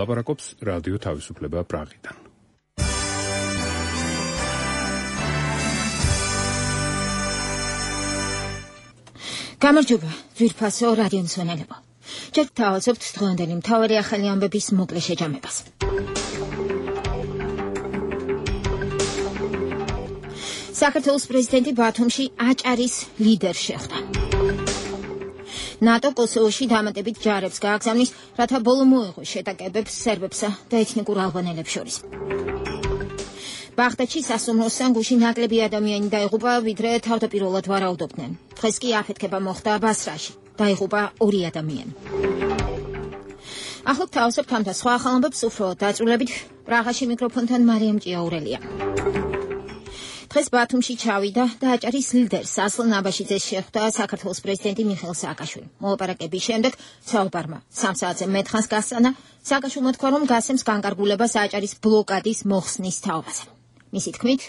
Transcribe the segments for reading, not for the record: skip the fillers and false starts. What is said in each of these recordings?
ლაპარაკობს რადიო თავისუფლება პრაღიდან. გამარჯობა, ძვირფასო რადიო მსმენელებო. ჯერ თავაზობთ დღევანდელი მთავარი ახალი ამბების მოკლე შეჯამებას. საქართველოს პრეზიდენტი ბათუმში აჭარის ლიდერს შეხვდა. ნატო კოსოვოში დამატებით ჯარებს გააგზავნის, რათა ბოლო მოეღოს შეტაკებებს სერბებსა და ეთნიკურ ალბანელებს შორის. ბაღდადში სასუმროსთან გუშინ ნაკლები ადამიანი დაიღუპა, ვიდრე თავდაპირველად ვარაუდობდნენ. დღეს კი აფეთქება მოხდა ბასრაში. დაიღუპა 2 ადამიანი. ახლა თავაზობთ ამ და სხვა ახალ ამბებს უფრო დაწვრილებით. პრაღაში მიკროფონთან მარიამ ჭიაურელია. დღეს ბათუმში ჩავიდა და აჭარის ლიდერს ასლან აბაშიძეს შეხვდა საქართველოს პრეზიდენტი მიხეილ სააკაშვილი. მოლაპარაკების შემდეგ საუბარმა 3 საათზე მეტხანს გასწანა. სააკაშვილმა თქვა, რომ გასცემს განკარგულებას აჭარის ბლოკადის მოხსნის თაობაზე. მისი თქმით,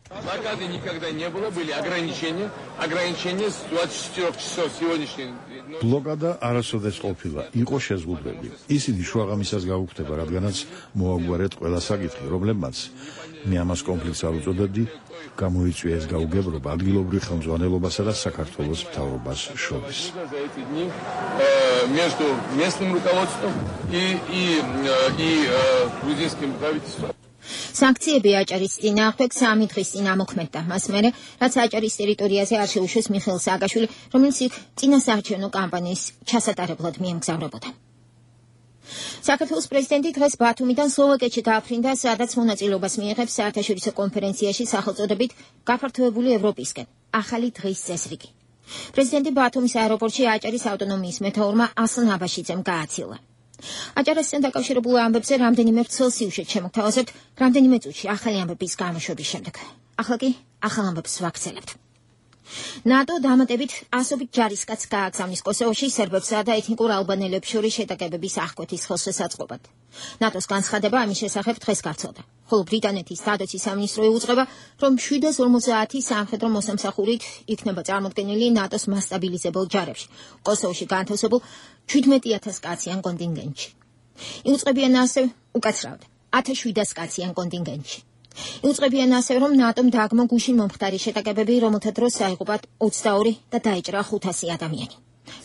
блокады никогда не было, были ограничения с 24 часов сегодняшний. Блокада არასოდეს ყოფილა, იყო შეზღუდვები. ისინი შუაღამისას გაუქმდება, რადგანაც მოაგვარეთ ყველა საკითხი, რომლებმაც მე ამას კონფლიქტს არ უწოდებდი, გამოიწვია ეს გაუგებრობა ადგილობრივ ხელმძღვანელობასა და საქართველოს მთავრობას შორის. Между местным руководством и грузинским правительством. სანქციები აჭარის წინააღმდეგ 3 დღის წინ ამოქმედდა. მას მერე, რაც აჭარის ტერიტორიაზე არ შეუშვეს მიხეილ სააკაშვილი, რომელიც იქ წინასაარჩევნო კამპანიის ჩასატარებლად მიემგზავრებოდა. საქართველოს პრეზიდენტი დღეს ბათუმიდან სლოვაკეთში დააფრინდა, სადაც მონაწილეობას მიიღებს საერთაშორისო კონფერენციაში სახელწოდებით გაფართოებული ევროპისკენ. ახალი დღის წესრიგი. პრეზიდენტი ბათუმის აეროპორტში აჭარის ავტონომიის მეთაურმა ასლან აბაშიძემ გააცილა. აჭარასთან დაკავშირებულ ამბებზე რამდენიმე ცელსიუსით შემოგთავაზებთ რამდენიმე წუთში ახალი ამბების გამოშვების შემდეგ. ახლა კი ახალ ამბებს ვაგრძელებთ. ნატო დამატებით 100 ჯარისკაცს გააგზავნის კოსოვოში სერბებსა და ეთნიკურ ალბანელებს შორის შეტაკებების აღკვეთის ხელშესაწყობად. ნატოს განცხადება ამის შესახებ დღეს გავრცელდა. ხოლო ბრიტანეთის დადოცის სამინისტრო იუწყება, რომ 750 სამხედრო მოსამსახურით იქნება წარმოდგენილი ნატოს მასტაბილიზებელ ჯარებში, კოსოვოში განთავსებულ 17,000 კაციან კონტინგენტში. იუწყებიან ასევე უკაცრავად 1700 კაციან კონტინგენტში. იუწყებიან ასევე, რომ ნატომ დააგმო გუშინ მომხდარი შეტაკებები, რომელთა დროს აიღუპა 22 და დაეჭრა 500 ადამიანი.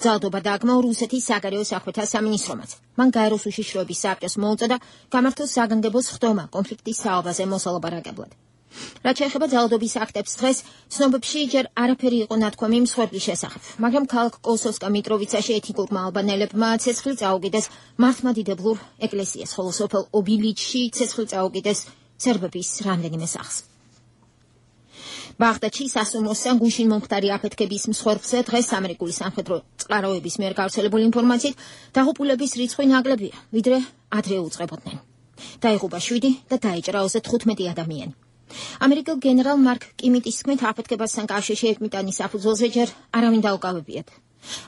ძალადობა დააგმო რუსეთის საგარეო საქმეთა სამინისტრომაც. მან გაეროს უშიშროების საბჭოს მოუწოდა გამართოს საგანგებო სხდომა კონფლიქტის საუბაზე მოსალაპარაკებლად. რაც შეეხება ძალადობის აქტებს, დღეს ცნობებში ჯერ არაფერი იყო ნათქვამი მსხვერპლის შესახებ, მაგრამ ქალაქ კოსოვსკა მიტროვიცაში ეთნიკურმა ალბანელებმა ცეცხლი წაუგიდეს მართლმადიდებლურ ეკლესიას, ხოლო სოფელ ობილიჩში ცეცხლი წაუგიდეს სერბების რამდენიმე სახლს. ბაღდადში სასუმროსთან გუშინ მომხდარი აფეთქების მსხვერპლზე დღეს ამერიკული სამხედრო წყაროების მიერ გავრცელებული ინფორმაციით დაღუპულების რიცხვი ნაკლებია, ვიდრე ადრე უწყებოდნენ. დაიღუპა 7 და დაეჭრა 35 ადამიანი. ამერიკელ გენერალ მარკ კიმიტის თქმით, აფეთქებასთან კავშირში ეკმიტანის საფუძველზე ჯერ არავინ დაუკავებიათ.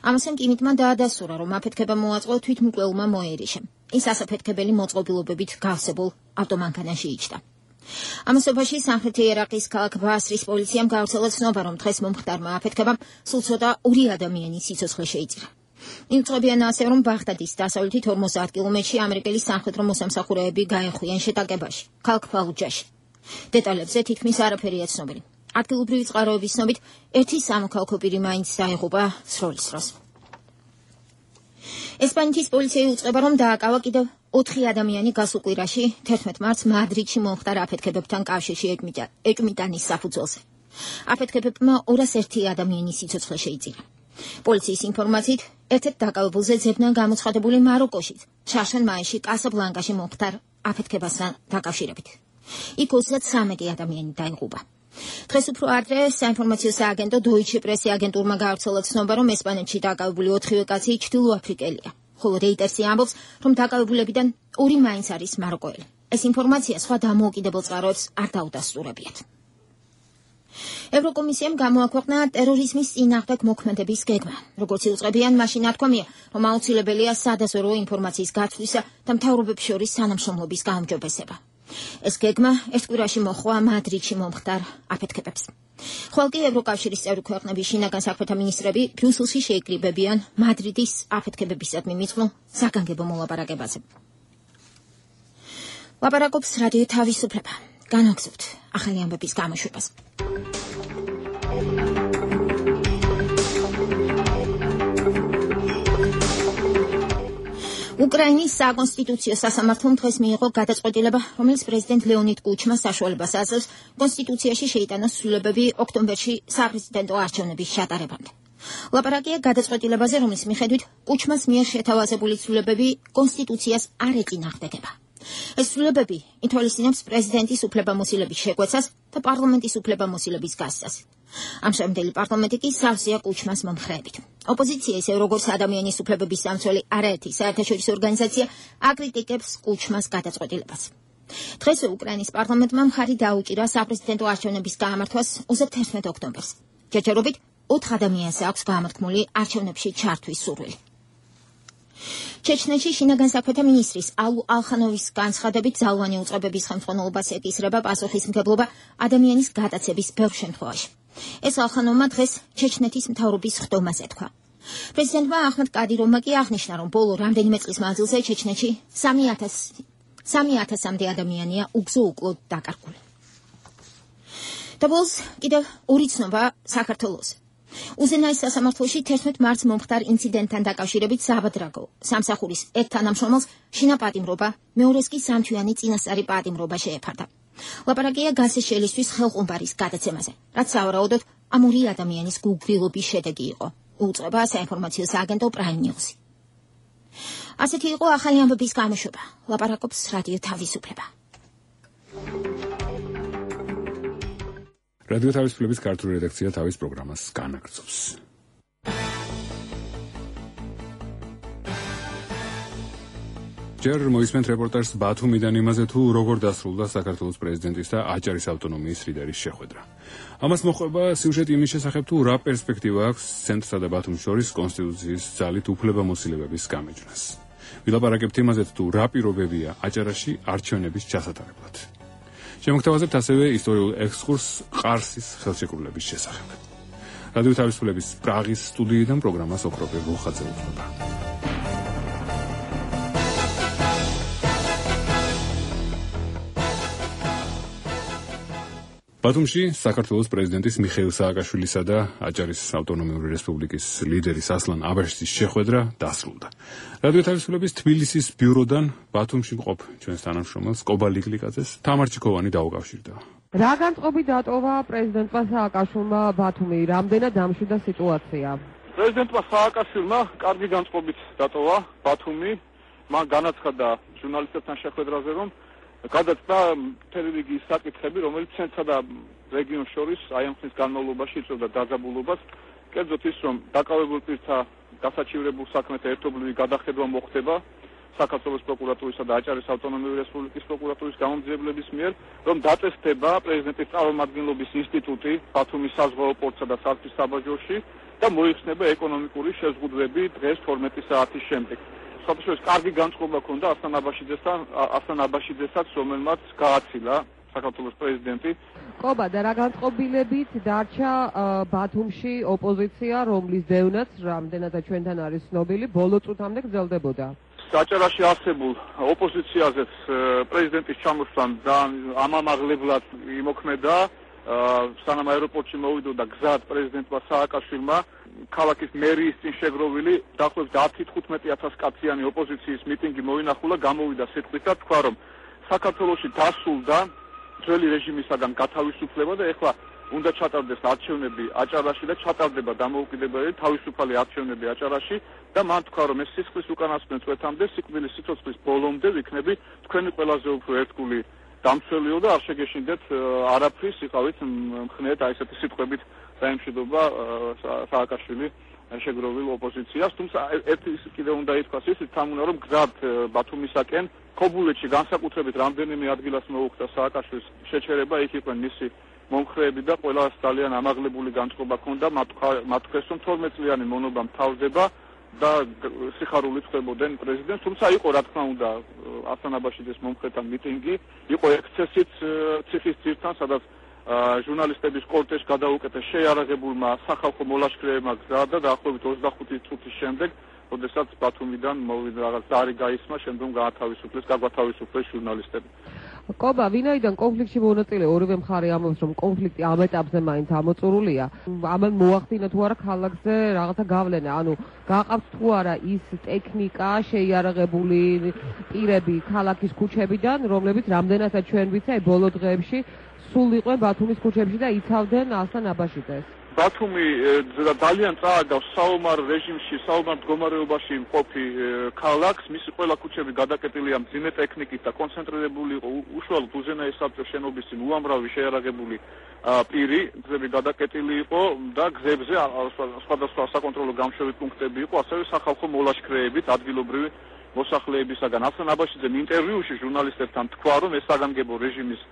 ამასთან კიმიტმა დაადასტურა, რომ აფეთქება მოაწყო თვითმკვლელმა მოერიშემ. ის ასაფეთქებელი მოწყობილობებით გავსებულ ავტომანქანაში იჯდა. ამასობაში სამხრეთი ერაყის ქალაქ ბასრის პოლიციამ გავრცელა ცნობა, რომ დღეს მომხდარმა აფეთქებამ სულ ცოტა 2 ადამიანის სიცოცხლე შეიწირა. იუწყებიან ასევე, რომ ბაღდადის დასავლეთით 50 კილომეტრში ამერიკელი სამხედრო მოსამსახურეები გაეხვიან შეტაკებაში, ქალაქ ფალუჯაში. დეტალებზე თითქმის არაფერია ცნობილი. ადგილობრივი წყაროების ცნობით, ერთი სამოქალაქო პირი მაინც დაიღუპა სროლის დროს. ესპანეთის პოლიცია იუწყება, რომ დააკავა კიდევ 4 ადამიანი გასულ კვირაში 11 მარტს მადრიდში მომხდარ აფეთქებებთან კავშირში ეკმიტანის საფუძველზე. აფეთქებებმა 201 ადამიანის სიცოცხლე შეიწირა. პოლიციის ინფორმაციით, ერთ-ერთ დაკავებულზე ძებნა გამოცხადებული მაროკოშიც, შაშან მაისში კასაბლანკაში მომხდარ აფეთქებასთან დაკავშირებით. იქ 33 ადამიანი დაიღუპა. დღეს უფრო ადრე საინფორმაციო სააგენტო დოიჩე პრესი აგენტურმა გავრცელა ცნობა, რომ ესპანეთში დაკავებული 4 კაცი ჩრდილოაფრიკელია, ხოლო რეიტერსი ამბობს, რომ დაკავებულებიდან 2 მაინც არის მაროკოელი. ეს ინფორმაცია სხვა დამოუკიდებელ წყაროებს არ დაუდასტურებიათ. ევროკომისიამ გამოაქვეყნა ტერორიზმის წინააღმდეგ მოქმედების გეგმა. როგორც იუწყებიან, მაშინ ნათქვამია, რომ აუცილებელია სადაზვერვო ინფორმაციის გათვლისა და მთავრობებს შორის თანამშრომლობის გაუმჯობესება. ეს გეგმა ერთ კვირაში მოხდა მადრიდში მომხდარ აფეთქებებს. ხოლო კი ევროკავშირის წევრი ქვეყნების შინაგან საქმეთა მინისტრები ბრიუსელში შეიკრიბებიან მადრიდის აფეთქებებისადმი მიწყნულ საგანგებო მოლაპარაკებაზე. ლაპარაკობს რადიო თავისუფლება. განაგზავნოთ ახალი ამბების გამოშვებას. უკრაინის საკონსტიტუციო სასამართლომ დღეს მიიღო გადაწყვეტილება, რომელიც პრეზიდენტ ლეონიდ კუჩმას საშუალებას აძლევს კონსტიტუციაში შეიტანოს ცვლილებები ოქტომბერში საპრეზიდენტო არჩევნების ჩატარებამდე. ლაპარაკია გადაწყვეტილებაზე, რომლის მიხედვით კუჩმას მიერ შეთავაზებული ცვლილებები კონსტიტუციას არ ეწინააღმდეგება. ეს ცვლილებები ითვალისწინებს პრეზიდენტის უფლებამოსილების შეკვეცას და პარლამენტის უფლებამოსილების გასცას. ამჟამინდელი პარლამენტი კი სავსეა კუჩმას მომხრეებით. ოპოზიცია, ისე როგორც ადამიანის უფლებების სამცველი არაერთი საერთაშორისო ორგანიზაცია აკრიტიკებს კუჩმას გადაწყვეტილებას. დღესვე უკრაინის პარლამენტმა მხარი დაუჭირა საპრეზიდენტო არჩევნების გამართვას 21 ოქტომბერს. ჯერჯერობით 4 ადამიანს აქვს გამართქმული არჩევნებში ჩართვის სურვილი. ჩეჩნეთში შინაგან საქმეთა მინისტრის ალუ ალხანოვის განცხადებით ძალოვანი უწყებების ხელმძღვანელობას ეკისრება პასუხისმგებლობა ადამიანის გადაცების ბევრ შემთხვევაში. ეს ალხანოვმა დღეს ჩეჩნეთის მთავრობის ხდომაზე თქვა. პრეზიდენტმა აჰმედ კადიროვმა კი აღნიშნა, რომ ბოლო რამდენიმე წლის მანძილზე ჩეჩნეთში 3,000-მდე ადამიანია უგზო უკლოდ დაკარგული. და ბოლოს კიდევ ორი ცნობა საქართველოს. უზენაეს სასამართლოში 11 მარტს მომხდარ ინციდენტთან დაკავშირებით საბადრაგო სამსახურის ერთ თანამშრომელს შინაპატიმრობა, მეორეს კი სამთვიანი წინასწარი პატიმრობა შეეფარდა. ლაპარაკია გაზის შელისთვის ხელყუმბარის გადაცემაზე, რაც სავარაუდოდ ამ ორი ადამიანის გულგრილობის შედეგი იყო. უწყება საინფორმაციო სააგენტო Prime News. ასეთი იყო ახალი ამბების გამოშვება. ლაპარაკობს რადიო თავისუფლება. რადიო თავისუფლების ქართული რედაქცია თავის პროგრამას განაგრძობს. ჯერ მოისმენთ რეპორტაჟს ბათუმიდან იმაზე, თუ როგორ დასრულდა საქართველოს პრეზიდენტის და აჭარის ავტონომიის ლიდერის შეხვედრა. ამას მოჰყვება სიუჟეტი იმის შესახებ, თუ რა პერსპექტივა აქვს ცენტრსა და ბათუმს შორის კონსტიტუციის ძალით უფლებამოსილების გამეჯვნას. ვილაპარაკებთ იმაზე, თუ რა პირობებია აჭარაში არჩევნების ჩასატარებლად. შემოგთავაზებთ ასევე ისტორიულ ექსკურსს ყარსის ხელშეკრულების შესახებ. რადიო თავისუფლების პრაღის სტუდიიდან პროგრამას ოქროპე ვულხაძე უძღვება. ბათუმში საქართველოს პრეზიდენტის მიხეილ სააკაშვილისა და აჭარის ავტონომიური რესპუბლიკის ლიდერის ასლან აბაშიძის შეხვედრა დასრულდა. რადიო თავისუფლების თბილისის ბიუროდან ბათუმში მყოფ ჩვენს თანამშრომელს კობა ლიკლიკაძეს თამარ ჩიქოვანი დაუკავშირდა. რა განწყობი დატოვა პრეზიდენტმა სააკაშვილმა ბათუმი, რამდენად დამშვიდა სიტუაცია? პრეზიდენტმა სააკაშვილმა კარგი განწყობით დატოვა ბათუმი, მან განაცხადა ჟურნალისტებთან შეხვედრაზე, რომ გადაწყდა მთელი რიგი საკითხები, რომელიც ცენტრსა და რეგიონს შორის აი ამ ხნის განმავლობაში იწვევდა დაძაბულობას. კერძოდ ის, რომ დაკავებულ პირთა გასაჩივრებულ საქმეთა ერთობლივი გადახედვა მოხდება საქართველოს პროკურატურისა და აჭარის ავტონომიური რესპუბლიკის პროკურატურის გამომძიებლების მიერ, რომ დაწესდება პრეზიდენტის წარმომადგენლობის ინსტიტუტი ბათუმის საზღვაო პორტსა და სარკის საბაჟოში და მოიხსნება ეკონომიკური შეზღუდვები დღეს 12 საათის შემდეგ. საფრთხის კარგი განწყობა ჰქონდა ასლან აბაშიძესაც, რომელმაც გააცილა საქართველოს პრეზიდენტი. ყობა და რა განწყობილებით დარჩა ბათუმში ოპოზიცია, რომლის დევნაც რამდენადაც ჩვენთან არის ცნობილი, ბოლო წუთამდე გრძელდებოდა. აჭარაში არსებულ ოპოზიციაზეც პრეზიდენტის ჩამოსვლამ ამამაღლებლად იმოქმედა, სანამ აეროპორტში მოვიდოდა გზად პრეზიდენტმა სააკაშვილმა ქალაქის მერიის წინ შეგროვილი დაახლოებით 10-15,000 კაციანი ოპოზიციის მიტინგი მოინახულა, გამოვიდა სიტყვით და თქვა, რომ საქართველოში დასრულდა ძველი რეჟიმისაგან გათავისუფლება და ეხლა უნდა ჩატარდეს არჩევნები აჭარაში და ჩატარდება დამოუკიდებელი თავისუფალი არჩევნები აჭარაში და მან თქვა, რომ ეს სისხლის უკანასკნელ წვეთამდე, სიკვდილის სიცოცხლის ბოლომდე ვიქნები თქვენი ყველაზე უფრო ერთგული დამცველიო და არ შეგეშინდეთ არაფრის, იყავით მხნედ აი ესეთი სიტყვებით დაემშვიდობა სააკაშვილი შეგროვილ ოპოზიციას, თუმცა ერთი კიდევ უნდა ითქვას ისიც, თან უნდა რომ გზად ბათუმისაკენ ქობულეთში განსაკუთრებით რამდენიმე ადგილას მოუხდა სააკაშვილის შეჩერება, იქ იყვნენ მისი მომხრეები და ყველას ძალიან ამაღლებული განწყობა ჰქონდა, მათ თქვეს, რომ 12 წლიანი მონობა მთავრდება და სიხარულით ხვდებოდნენ პრეზიდენტს, თუმცა იყო რა თქმა უნდა ასლან აბაშიძის მომხრეთან მიტინგი, იყო ექსცესიც ციხის ძირთან, სადაც ჟურნალისტების კორტეჟს გადაუკეთეს შეიარაღებულმა სახალხო მოლაშქრეებმა გზა და დაახლოებით 25 წუთის შემდეგ როდესაც ბათუმიდან მოვიდა რაღაც ზარი გაისმა, შემდგომ გაგვათავისუფლეს ჟურნალისტები. კობა, ვინაიდან კონფლიქტში მონაწილე ორივე მხარე ამბობს, რომ კონფლიქტი ამ ეტაპზე მაინც ამოწურულია, ამან მოახდინა თუ არა ქალაქზე რაღაცა გავლენა, ანუ გაყავთ თუ არა ის ტექნიკა, შეიარაღებული პირები ქალაქის ქუჩებიდან, რომლებიც რამდენადაც ჩვენ ვიცი, ბოლო დღეებში სულ იყვნენ ბათუმის ქუჩებში და იცავდნენ ასლან აბაშიძეს. ბათუმი ძალიან წააგავს საომარ რეჟიმში, საომარ მდგომარეობაში მყოფი ქალაქს, მისი ყველა ქუჩები გადაკეტილია მძიმე ტექნიკით და კონცენტრირებული იყო უშუალოდ უზენაეს საბჭოს შენობის წინ უამრავი შეიარაღებული პირი, გზები გადაკეტილი იყო და გზებზე სხვადასხვა საკონტროლო გამშვები პუნქტები იყო, ასევე სახალხო მოლაშქრეებით ადგილობრივი მოსახლეებისაგან. ასლან აბაშიძემ ინტერვიუში ჟურნალისტებთან თქვა, რომ ეს საგანგებო რეჟიმის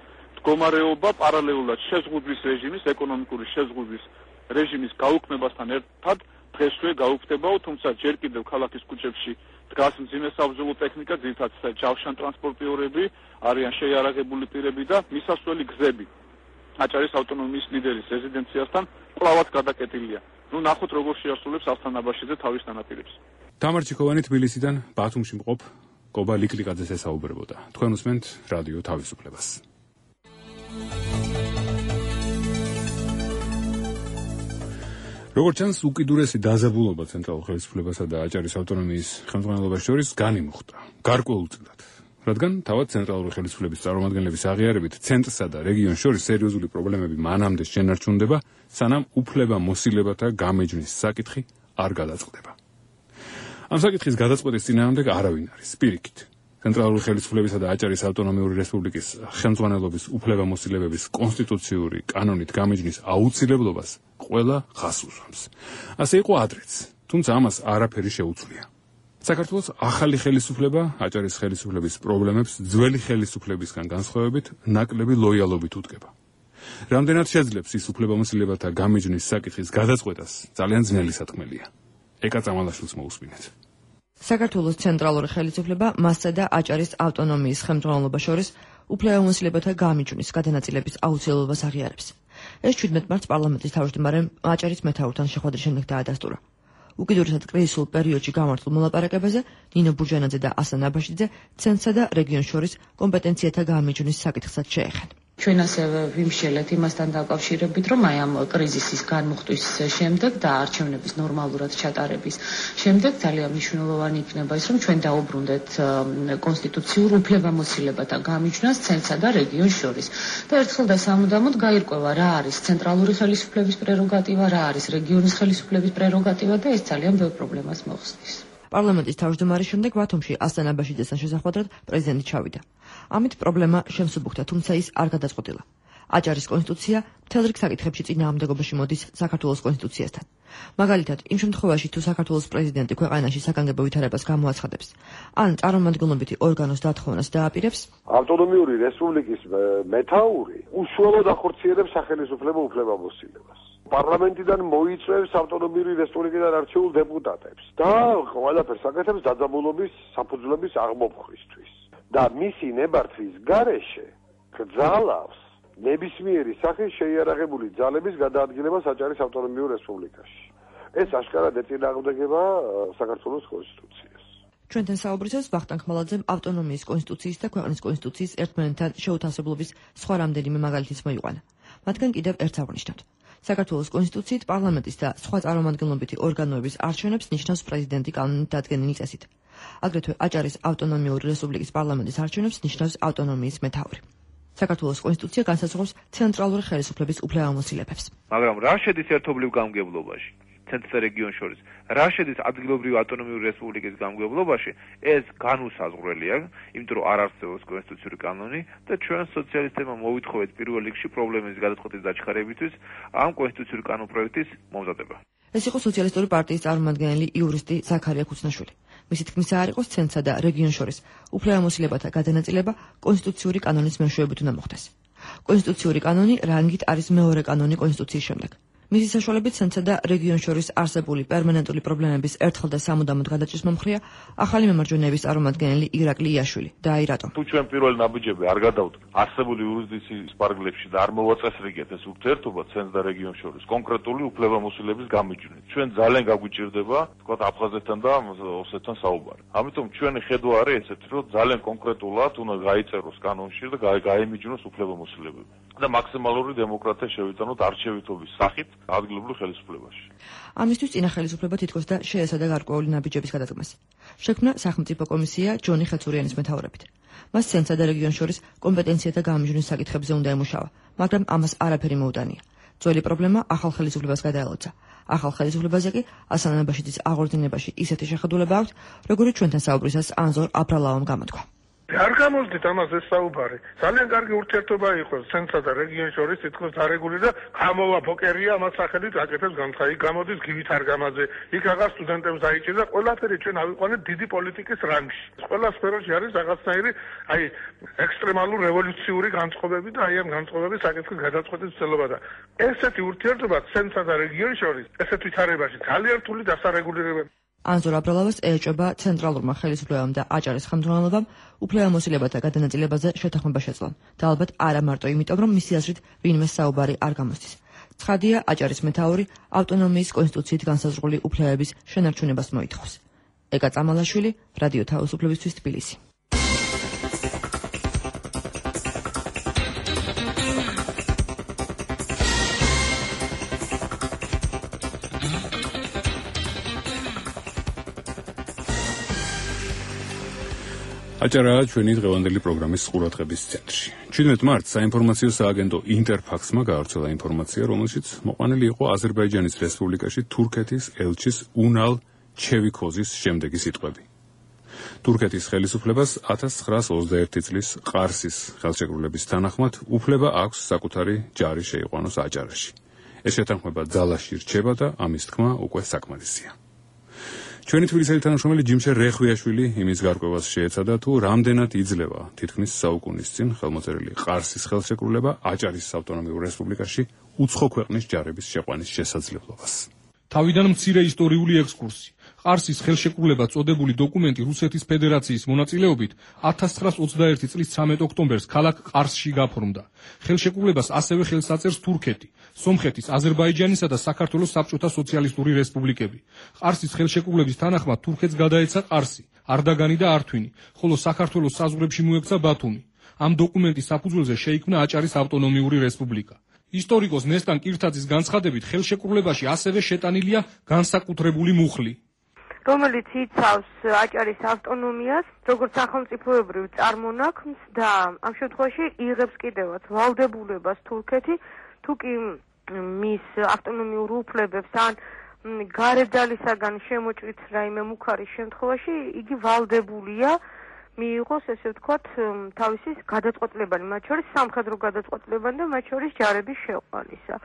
მდგომარეობა პარალელურად შეზღუდვის რეჟიმის, ეკონომიკური შეზღუდვის რეჟიმის გაუქმებასთან ერთად დღესვე გაუქმდებაო, თუმცა ჯერ კიდევ ქალაქის ქუჩებში დგას მძიმე საბრძოლო ტექნიკა, ძირითადად ჯავშან ტრანსპორტიორები, არიან შეიარაღებული პირები და მისასვლელი გზები აჭარის ავტონომიის ლიდერის რეზიდენციასთან კვლავაც გადაკეტილია. ნახოთ როგორ შეასრულებს ასლან აბაშიძე თავის თანაპირებს. თამარ ჩიქოვანი თბილისიდან ბათუმში მყოფ კობა ლიკლიკაძეს ესაუბრებოდა. თქვენ უსმენთ რადიო თავისუფლებას. როგორც ჩანს, უკიდურესი დაძაბულობა ცენტრალურ ხელისუფლებასა და აჭარის ავტონომიის ხელმძღვანელობას შორის განიმუხტა გარკვეულწილად, რადგან თავად ცენტრალური ხელისუფლების წარმომადგენლების აღიარებით ცენტრსა და რეგიონს შორის სერიოზული პრობლემები მანამდე შენარჩუნდება, სანამ უფლებამოსილებათა გამეჯვნის საკითხი არ გადაწყდება. ამ საკითხის გადაწყვეტის წინააღმდეგ არავინ არის პირიქით. ცენტრალური ხელისუფლებისა და აჭარის ავტონომიური რესპუბლიკის ხელმძღვანელობის უფლებამოსილებების კონსტიტუციური კანონით გამეჯვნის აუცილებლობას ყველა ხას უსვამს. ასე იყო ადრეც, თუმცა ამას არაფერი შეუცვლია. საქართველოს ახალი ხელისუფლება აჭარის ხელისუფლების პრობლემებს ძველი ხელისუფლებისგან განსხვავებით ნაკლები ლოიალობით უდგება. რამდენად შეძლებს ის უფლებამოსილებათა გამეჯვნის საკითხის გადაწყვეტას, ძალიან ძნელი სათქმელია. ეკა წამალაშვილს მოусმინეთ. საქართველოს ცენტრალური ხელისუფლება მასსა და აჭარის ავტონომიის ხელმძღვანელობას შორის უფლებამოსილებათა გამეჯვნის გადანაწილების აუცილებლობას აღიარებს. ეს 17 მარტს პარლამენტის თავმჯდომარემ აჭარის მეთაურთან შეხვედრის შემდეგ დაადასტურა. უკიდურესად კრიზისულ პერიოდში გამართულ მოლაპარაკებაზე ნინო ბურჯანაძე და ასლან აბაშიძე ცენტრსა და რეგიონს შორის კომპეტენციათა გამეჯვნის საკითხსაც შეეხენ. ჩვენ ასევე ვიმშელეთ იმასთან დაკავშირებით, რომ აი ამ კრიზისის განმუხტვის შემდეგ და არჩევნების ნორმალურად ჩატარების შემდეგ ძალიან მნიშვნელოვანი იქნება ის, რომ ჩვენ დაუბრუნდეთ კონსტიტუციურ უფლებამოსილებათა გამიჯვნას ცენტრსა და რეგიონს შორის. და ერთხელ და სამუდამოდ გაირკვევა რა არის ცენტრალური ხელისუფლების პრეროგატივა, რა არის რეგიონის ხელისუფლების პრეროგატივა და ეს ძალიან ბევრ პრობლემას მოხსნის. პარლამენტის თავმჯდომარის შემდეგ ბათუმში ასლან აბაშიძესთან შესახვედრად პრეზიდენტი ჩავიდა. ამით პრობლემა შემსუბუქდა, თუმცა ის არ გადაწყვეტილა. აჭარის კონსტიტუცია მთელ რიგ საკითხებში წინააღმდეგობაში მოდის საქართველოს კონსტიტუციასთან. მაგალითად, იმ შემთხვევაში, თუ საქართველოს პრეზიდენტი ქვეყანაში საგანგებო ვითარებას გამოაცხადებს, ან წარმომადგენლობითი ორგანოს დათხოვნას დააპირებს, ავტონომიური რესპუბლიკის მეთაური უშუალოდ ახორციელებს სახელისუფლებო უფლებამოსილებას. პარლამენტიდან მოიწვევს ავტონომიური რესპუბლიკიდან არჩეულ დეპუტატებს და ყველაფერს აკეთებს დაძაბულობის საფუძვლების აღმოფხვისთვის. და მისი ნებართვის გარეშე გძალავს ნებისმიერი სახის შეიარაღებული ძალების გადაადგილებას აჭარის ავტონომიურ რესპუბლიკაში. ეს აშკარად ეწინააღმდეგება საქართველოს კონსტიტუციას. ჩვენთან საუბრისას ვახტანგ ხმალაძემ ავტონომიის კონსტიტუციის და ქვეყნის კონსტიტუციის ერთმანეთთან შეუთავსებლობის სხვა რამდენიმე მაგალითიც მოიყვანა. მათგან კიდევ ერთს აღვნიშნოთ. საქართველოს კონსტიტუციით პარლამენტის და სხვა წარმომადგენლობითი ორგანოების არჩევნებს ნიშნავს პრეზიდენტი კანონით დადგენილი წესით. აგრეთვე აჭარის ავტონომიური რესპუბლიკის პარლამენტის არჩევნებს ნიშნავს ავტონომიის მეთაური. საქართველოს კონსტიტუცია განსაზღვრავს ცენტრალური ხელისუფლების უფლებამოსილებებს. მაგრამ რა შედის ერთობლივ გამგებლობაში? ცენტრს და რეგიონს შორის რა შედის ადგილობრივი ავტონომიური რესპუბლიკის გამგებლობაში, ეს განუსაზღვრელია, იმიტომ რომ არ არსებობს კონსტიტუციური კანონი და ჩვენ სოციალისტებმა მოვითხოვეთ პირველ რიგში პრობლემის გადაწყვეტის დაჩქარებისთვის ამ კონსტიტუციური კანონპროექტის მომზადება. ეს იყო სოციალისტური პარტიის წარმომადგენელი იურისტი ზაქარია ქუცნაშვილი. მისი თქმისა არ იყოს ცენტრსა და რეგიონს შორის უფლებამოსილებათა გადანაწილება კონსტიტუციური კანონის მეშვეობით უნდა მოხდეს. კონსტიტუციური კანონი რანგით არის მეორე კანონი კონსტიტუციის შემდეგ. მისი საშუალებით ცენტრსა და რეგიონს შორის არსებული პერმანენტული პრობლემების ერთხელ და სამუდამოდ გადაჭრის მომხრეა ახალი მემარჯვენეების წარმომადგენელი ირაკლი იაშვილი. და აი რატომ? თუ ჩვენ პირველი ნაბიჯები არ გადავთ არსებული იურისდიქციის პარაგრაფში და არ მოვაწესრიგეთ ეს ურთიერთობა ცენტრს და რეგიონს შორის კონკრეტული უფლებამოსილების გამიჯვნით. ჩვენ ძალიან გაგვიჭირდება, თქვათ, აფხაზეთთან და ოსეთთან საუბარი. ამიტომ ჩვენი ხედვა არის ესეთი, რომ ძალიან კონკრეტულად უნდა გაიწეროს კანონში და გაემიჯნოს უფლებამოსილებები. და მაქსიმალური დემოკრატია შევიტანოთ არჩევითობის სახით ადგილობრივ ხელისუფლებაში. ამისთვის წინა ხელისუფლება თითქოს და შეესადა გარკვეული ნაბიჯების გადადგმას. შექმნა სახელმწიფო კომისია ჯონი ხეცურიანის მეთაურობით. მას ცენტრსა და რეგიონს შორის კომპეტენციათა გამიჯვნის საკითხებზე უნდა ემუშავა, მაგრამ ამას არაფერი მოუტანია. ძველი პრობლემა ახალ ხელისუფლებას გადაელოცა. ახალ ხელისუფლებაზე კი ასან აბაშიძის აღორძინებაში ისეთი შეხედულება აქვს, როგორც ჩვენთან საუბრისას ანზორ აბრალავამ გამოთქვა. არ გამოსდით ამას ეს საუბარი. ძალიან კარგი ურთიერთობა იყო ცენტრსა და რეგიონს შორის, თითქოს დარეგული და გამოვა პოკერია ამას სახელით აკეთებს განცხადი. იქ გამოდის გივით არგამაძე, იქ აღარ სტუდენტებს დაიჭირდა, ყველაფერი ჩვენ ავიყვანეთ დიდი პოლიტიკის რანგში. ყველა სფეროში არის რაღაცნაირი ექსტრემალურ რევოლუციური განწყობები და ამ განწყობების საკითხის გადაწყვეტის ცდილობა და ესეთი ურთიერთობა ცენტრსა და რეგიონს შორის, ესეთ ვითარებაში ძალიან რთული დასარეგულირება. ანზორ აბრალავას ეჭვება ცენტრალურმა ხელისუფლებამ და აჭარის ხელმძღვანელობამ უფლებამოსილებათა გადანაწილებაზე შეთანხმება შეძლონ და ალბათ არა მარტო იმიტომ, რომ მისი აზრით ვინმე საუბარი არ გამოსდის. ცხადია, აჭარის მეთაური ავტონომიის კონსტიტუციით განსაზღვრული უფლებების შენარჩუნებას მოითხოვს. ეკა წამალაშვილი, რადიო თავისუფლებისთვის თბილისი. აჭარაა ჩვენი დღევანდელი პროგრამის ყურადღების ცენტრში. 17 მარტს საინფორმაციო სააგენტო ინტერფაქსმა გაავრცელა ინფორმაცია, რომელშიც მოყვანილი იყო აზერბაიჯანის რესპუბლიკაში თურქეთის ელჩის უნალ ჩევიქოზის შემდეგი სიტყვები. თურქეთის ხელისუფლებას 1921 წლის ყარსის ხელშეკრულების თანახმად უფლება აქვს საკუთარი ჯარი შეიყვანოს აჭარაში. ეს შეთანხმება ძალაში რჩება და ამის თქმა უკვე საკმარისია. ჩვენი თბილისელი თანამშრომელი ჯიმშე რეხვიაშვილი იმის გარკვევას შეეცადა, თუ რამდენად იძლევა თითქმის საუკუნის წინ ხელმოწერილი ყარსის ხელშეკრულება აჭარის ავტონომიურ რესპუბლიკაში უცხო ქვეყნის ჯარების შეყვანის შესაძლებლობას. თავიდან მცირე ისტორიული ექსკურსი. ყარსის ხელშეკრულება წოდებული დოკუმენტი რუსეთის ფედერაციის მონაწილეობით 1921 წლის 13 ოქტომბერს ქალაქ ყარსში გაფორმდა. ხელშეკრულებას ასევე ხელს აწერს თურქეთი, სომხეთის, აზერბაიჯანისა და საქართველოს საბჭოთა სოციალისტური რესპუბლიკები. ყარსის ხელშეკრულების თანახმად თურქეთს გადაეცა ყარსი, არდაგანი და ართვინი, ხოლო საქართველოს საზღვრებში მოექცა ბათუმი. ამ დოკუმენტის საფუძველზე შეიქმნა აჭარის ავტონომიური რესპუბლიკა. ისტორიკოს ნესტან კირთაძის განცხადებით, ხელშეკრულებაში ასევე შეტანილია განსაკუთრებული მუხლი, რომელიც იცავს აჭარის ავტონომიას, როგორც სახელმწიფოებრივ წარმონაქმს და ამ შემთხვევაში იღებს კიდევაც ვალდებულებას თურქეთი, თუ კი მის ავტონომიურ უფლებებს ან გარედალისაგან შემოჭრით რაიმე მუქარის შემთხვევაში იგი ვალდებულია მიიღოს, ესე ვთქვათ, თავისი გადაწყვეტილებანი, მათ შორის სამხედრო გადაწყვეტილებანი და მათ შორის ჯარების შეყვანისა.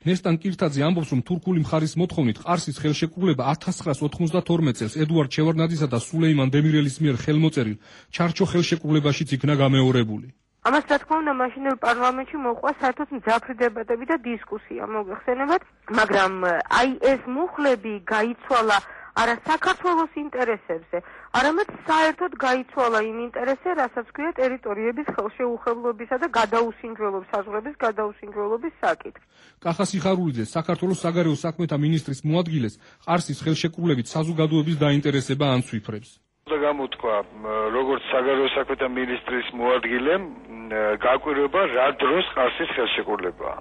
ნესტან კირთაძე ამბობს, რომ თურქული მხარის მოთხოვნით ყარსის ხელშეკრულება 1992 წელს ედუარდ შევარდნაძისა და სულეიმან დემირელის მიერ ხელმოწერილ ჩარჩო ხელშეკრულებაშიც იქნა გამეორებული. ამას რა თქმა უნდა მაშინელ პარლამენტში მოყვა საერთოდ მძაფრი დებატები და დისკუსია, მოგეხსენებათ, მაგრამ აი ეს მუხლები გაიცვალა არა საქართველოს ინტერესებზე, არამედ საერთოდ გაიცვალა იმ ინტერესზე, რასაც ქვია ტერიტორიების ხელშეუხებლობისა და გადაუსინჯველობის, საზღვრების გადაუსინჯველობის საკითხი. კახა სიხარულიძე, საქართველოს საგარეო საქმეთა მინისტრის მოადგილეს, ყარსის ხელშეკრულებით საზოგადოების დაინტერესება ანცვიფრებს. გამოთქვა, როგორც საგარეო საქმეთა მინისტრის მოადგილემ, გაკვირვება რა დროს ყარსის ხელშეკრულებაა.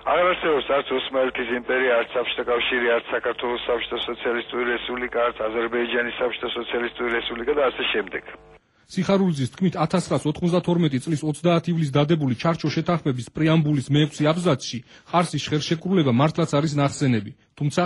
აღარ არსებობს არც ოსმალეთის იმპერია, არც საბჭოთა კავშირი, არც საქართველოს საბჭოთა სოციალისტური რესპუბლიკა, არც აზერბაიჯანის საბჭოთა სოციალისტური რესპუბლიკა და ასე შემდეგ. სიხარულიძის თქმით 1992 წლის 30 ივლისს დადებული ჩარჩო შეთანხმების პრეამბულის მე-6 აბზაცში ყარსის ხელშეკრულება მართლაც არის ნახსენები, თუმცა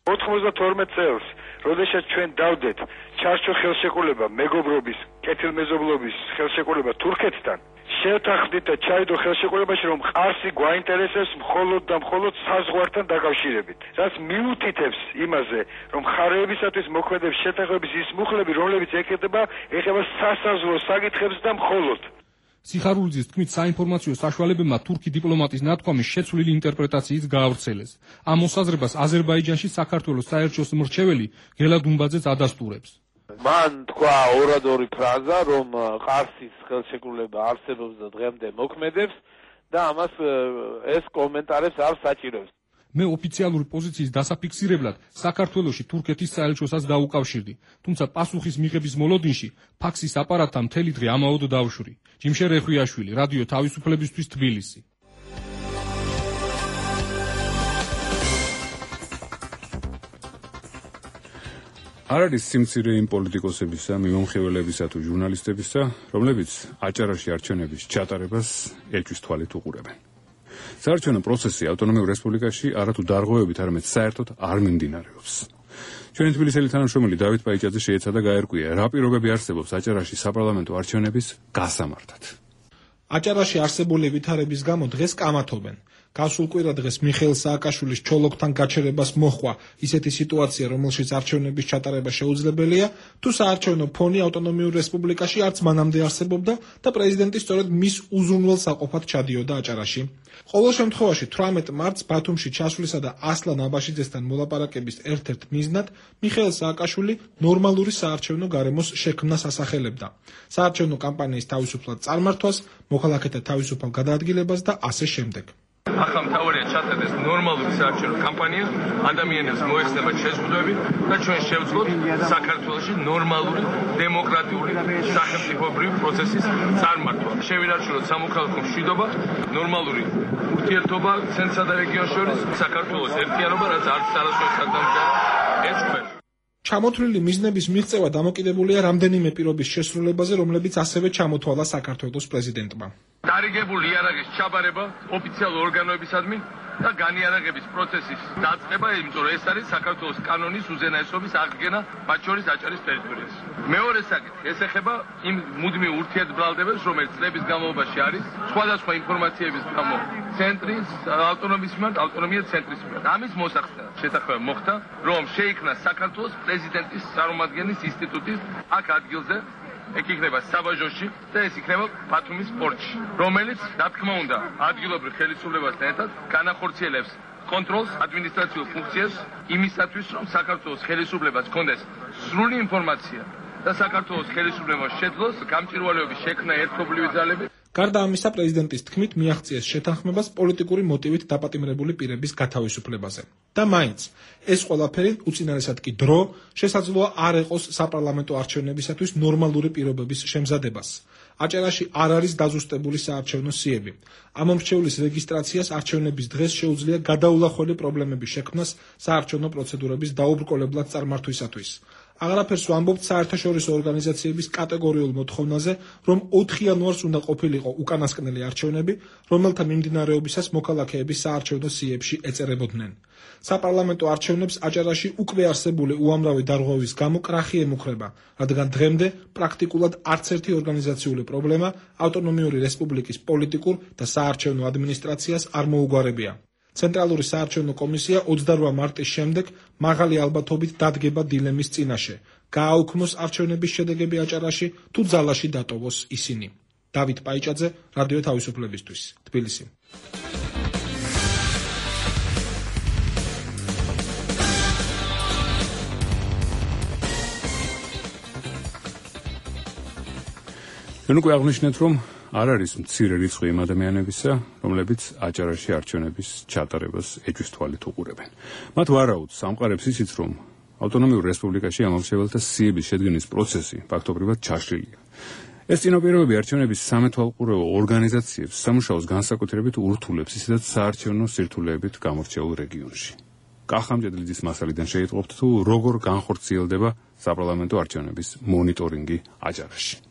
92 წელს, როდესაც ჩვენ დავდეთ ჩარჩო ხელშეკრულება მეგობრობის, კეთილმეზობლობის ხელშეკრულება თურქეთთან, შევთანხმდით და ჩაიდო ხელშეკრულებაში, რომ ყარსი გვაინტერესებს მხოლოდ და მხოლოდ საზღვართან დაკავშირებით. რაც მიუთითებს იმაზე, რომ მხარეებისათვის მოქმედებს შეთანხმების ის მუხლები, რომლებიც ეხება სასაზღვრო საკითხებს და მხოლოდ. სიხარულიძის თქმით, საინფორმაციო საშუალებებმა თურქი დიპლომატის ნათქვამის შეცვლილი ინტერპრეტაციით გაავრცელეს. ამ მოსაზრებას აზერბაიჯანში საქართველოს საელჩოს მრჩეველი გელა დუმბაძეც ადასტურებს. მან თქვა ორადორი ფრაზა, რომ ყარსის ხელშეკრულება არსებობს და დღემდე მოქმედებს და ამას ეს კომენტარებს არ საჭიროებს. მე ოფიციალური პოზიციის დასაფიქსირებლად საქართველოში თურქეთის საელჩოსაც დაუკავშირდი, თუმცა პასუხის მიღების მოლოდინში ფაქსის აპარატთან მთელი დღე ამაოდ დავშვი. ჯიმშერ ეხვიაშვილი, რადიო თავისუფლებისთვის თბილისი. არ არის სიმცირე იმ პოლიტიკოსებისა, მიმომხილველებისა თუ ჟურნალისტებისა, რომლებიც აჭარაში არჩევნების ჩატარებას ეჭვის თვალით უყურებენ. საარჩევნო პროცესი ავტონომიურ რესპუბლიკაში არათუ დარღვევებით, არამედ საერთოდ არ მიმდინარეობს. ჩვენი თბილისელი თანამშრომელი დავით პაიჭაძე შეეცადა გაერკვია, რა პირობები არსებობს აჭარაში საპარლამენტო არჩევნების გასამართად. აჭარაში არსებული ვითარების გამო დღეს კამათობენ. გასულ კვირა დღეს მიხეილ სააკაშვილის ჩოლოქთან გაჩერებას მოჰყვა ისეთი სიტუაცია, რომელშიც არჩევნების ჩატარება შეუძლებელია, თუ საარჩევნო ფონი ავტონომიურ რესპუბლიკაში არც მანამდე არსებობდა და პრეზიდენტი სწორედ მის უზრუნველ საყოფად ჩადიოდა აჭარაში. ყოველ შემთხვევაში 18 მარტს ბათუმში ჩასვლისა და ასლან აბაშიძესთან მოლაპარაკების ერთ-ერთ მიზნად მიხეილ სააკაშვილი ნორმალური საარჩევნო გარემოს შექმნას ასახელებდა. საარჩევნო კამპანიის თავისუფლად წარმართვას, მოქალაქეთა თავისუფალ გადაადგილებას და ასე შემდეგ. ახლა მთავარია ჩატარდეს ნორმალური საარჩევნო კამპანია, ადამიანებს მოეხსნებათ შეზღუდვები და ჩვენ შევძლოთ საქართველოში ნორმალური დემოკრატიული სახელმწიფოებრივი პროცესის წარმართვა. შევინარჩუნოთ სამოქალაქო მშვიდობა, ნორმალური ურთიერთობა ცენტრსა და რეგიონს შორის, საქართველოს ერთიანობა, რაც არც არასოდეს არ დამჭირდა ეს ქვევს. ჩამოთვლილი მიზნების მიღწევა დამოკიდებულია რამდენიმე პირობის შესრულებაზე, რომლებიც ასევე ჩამოთვალა საქართველოს პრეზიდენტმა. დარიგებული იარაღის ჩაბარება ოფიციალურ ორგანოებისადმი და განიარაღების პროცესის დაწყება, იმიტომ რომ ეს არის საქართველოს კანონის უზენაესობის აღდგენა, მათ შორის აჭარის ტერიტორიაზე. მეორე საკითხი, ეს ეხება იმ მუდმივ ურთიერთბრალდებებს, რომელიც წლების განმავლობაში არის სხვადასხვა ინფორმაციების გამო ცენტრის ავტონომიის მიმართ, ავტონომია ცენტრის მიმართ. ამის მოსახსნელად შეთანხმება მოხდა, რომ შეიქმნა საქართველოს პრეზიდენტის წარმომადგენლის ინსტიტუტის აქ ადგილზე, ეგ იქნება საბაჟოში და ეს იქნება ბათუმის პორტში, რომელიც, რა თქმა უნდა, ადგილობრივ ხელისუფლებასთან ერთად განახორციელებს კონტროლს, ადმინისტრაციულ ფუნქციებს იმისათვის, რომ საქართველოს ხელისუფლებას ჰქონდეს სრული ინფორმაცია და საქართველოს ხელისუფლებას შეძლოს გამჭვირვალეობის შექმნა ერთობლივი ძალებით. გარდა ამისა, პრეზიდენტის თქმით მიაღწიეს შეთანხმებას პოლიტიკური მოტივით დაპატიმრებული პირების გათავისუფლებაზე. და მაინც, ეს ყველაფერი უწინარესად კი დრო შესაძლოა არ ეყოს საპარლამენტო არჩევნებისათვის ნორმალური პირობების შემზადებას. აჭარაში არ არის დაზუსტებული საარჩევნო სიები. ამ მომრჩევლის რეგისტრაციას არჩევნების დღეს შეუძლია გადაულახველი პრობლემების შექმნას საარჩევნო პროცედურების დაუბრკოლებლად წარმართვისათვის. აღარაფერს ვამბობთ საერთაშორისო ორგანიზაციების კატეგორიულ მოთხოვნაზე, რომ 4 იანვარს უნდა ყოფილიყო უკანასკნელი არჩევნები, რომელთა მიმდინარეობისას მოქალაქეები საარჩევნო სიებში ეწერებოდნენ. საპარლამენტო არჩევნებს აჭარაში უკვე არსებული უამრავი დარღვევის გამო კრახი ემუქრება, რადგან დღემდე პრაქტიკულად არც ერთი ორგანიზაციული პრობლემა ავტონომიური რესპუბლიკის პოლიტიკურ და საარჩევნო ადმინისტრაციას არ მოუგვარებია. ცენტრალური საარჩევნო კომისია 28 მარტის შემდეგ მაღალი ალბათობით დადგება დილემის წინაშე. გააუქმოს არჩევნების შედეგები აჭარაში თუ ძალაში დატოვოს ისინი. დავით პაიჭაძე, რადიო თავისუფლებისთვის, თბილისი. ჩვენ უკვე აღნიშნეთ, რომ არ არის მცირე რიცხვი იმ ადამიანებისა, რომლებიც აჭარაში არჩევნების ჩატარებას ეჭვის თვალით უყურებენ. მათ ვარაუდს ამყარებს ისიც, რომ ავტონომიურ რესპუბლიკაში ამომრჩეველთა სიების შედგენის პროცესი ფაქტობრივად ჩაშლილია. ეს წინაპირობები არჩევნების სამეთვალყურეო ორგანიზაციებს სამუშაოს განსაკუთრებით ურთულებს ისედაც საარჩევნო სირთულეებით გამორჩეულ რეგიონში. კახამჭედლიძის მასალიდან შეიტყობთ, თუ როგორ განხორციელდება საპარლამენტო არჩევნების მონიტორინგი აჭარაში.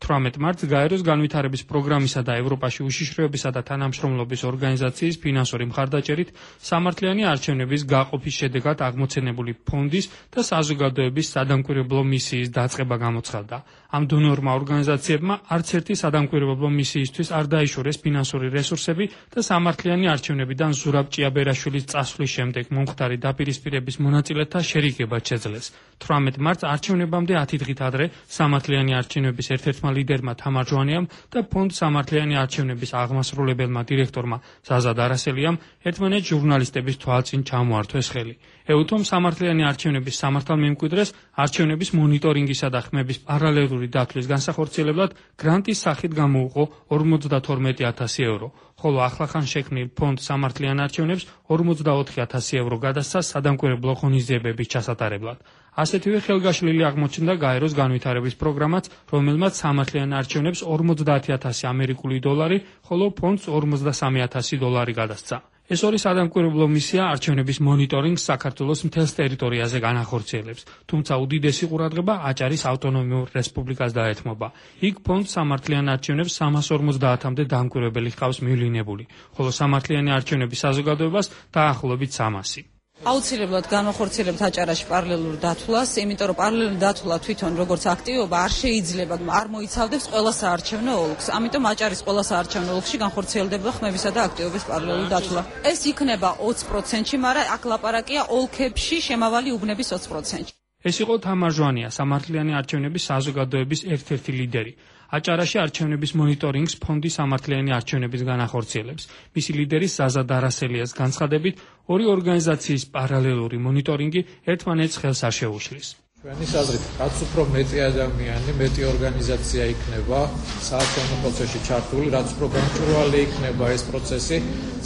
18 მარტს გაეროს განვითარების პროგრამისა და ევროპაში უშიშროებისა და თანამშრომლობის ორგანიზაციის ფინანსური მხარდაჭერით სამართლიანი არჩევნების გაყოფის შედეგად აღმოცენებული ფონდის და საზოგადოების სადამკვირვებლო მისიის დაწყება გამოცხადდა. ამ დონორმა ორგანიზაციებმა არც ერთი სადამკვირვებლო მისიისთვის არ დაიშორეს ფინანსური რესურსები და სამართლიანი არჩევნებიდან ზურაბ ჭიაბერაშვილის წასვლის შემდეგ მომხდარი დაპირისპირების მონაწილეთა შერიგება შეძლეს. 18 მარტს არჩევნებამდე 10 დღით ადრე სამართლიანი არჩევნების ერთ-ერთმა ლიდერმა თამარ ჟვანიამ და ფონდ სამართლიანი არჩევნების აღმასრულებელმა დირექტორმა ზაზა დარასელიამ ერთმანეთს ჟურნალისტების თვალწინ ჩამოართვეს ხელი. ეუთომ სამართლიანი არჩევნების სამართალმემკვიდრეს არჩევნების მონიტორინგისა და ხმების პარალელური დათვლის განსახორციელებლად გრანტის სახით გამოუყო 52,000 euро, ხოლო ახლახან შექმნილ ფონდ სამართლიან არჩევნებს 44,000 euро გადასცა სადამკვირვებლო ღონისძიებების ჩასატარებლად. ასეთივე ხელგაშლილი აღმოჩნდა გაეროს განვითარების პროგრამაც, რომელმაც სამართლიან არჩევნებს 50,000 ამერიკული დოლარი, ხოლო ფონდს 53,000 დოლარი გადასცა. ეს ორი სადამკვირვებლო მისია არჩევნების მონიტორინგს საქართველოს მთელს ტერიტორიაზე განახორციელებს, თუმცა უდიდესი ყურადღება აჭარის ავტონომიურ რესპუბლიკას დაეთმობა. იქ ფონდ სამართლიან არჩევნებს 350-მდე დამკვირვებელი ჰყავს მივლინებული, ხოლო სამართლიანი არჩევნების საზოგადოებას დაახლოებით 300. აუცილებლად განახორციელებთ აჭარაში პარალელურ დათვლას, იმიტომ რომ პარალელური დათვლა თვითონ როგორც აქტივობა არ შეიძლება, არ მოიცავდებს ყველა საარჩევნო ოლქს. ამიტომ აჭარის ყველა საარჩევნო ოლქში განხორციელდება ხმებისა და აქტივობის პარალელური დათვლა. ეს იქნება 20%-ში, მაგრამ აქ ლაპარაკია ოლქებში შემავალი უბნების 20%-ში. ეს იყო თამარ ჟვანია, სამართლიანი არჩევნების საზოგადოების ერთ-ერთი ლიდერი. აჭარაში არჩევნების მონიტორინგს ფონდი სამართლიანი არჩევნების განახორციელებს. მისი ლიდერის ზაზა დარასელიას განცხადებით, ორი ორგანიზაციის პარალელური მონიტორინგი ერთმანეთს ხელს არ შეუშლის. ჩვენი აზრით, რაც უფრო მეტი ადამიანი, მეტი ორგანიზაცია იქნება საარჩევნო პროცესში ჩართული, რაც უფრო გამჭვირვალე იქნება ეს პროცესი,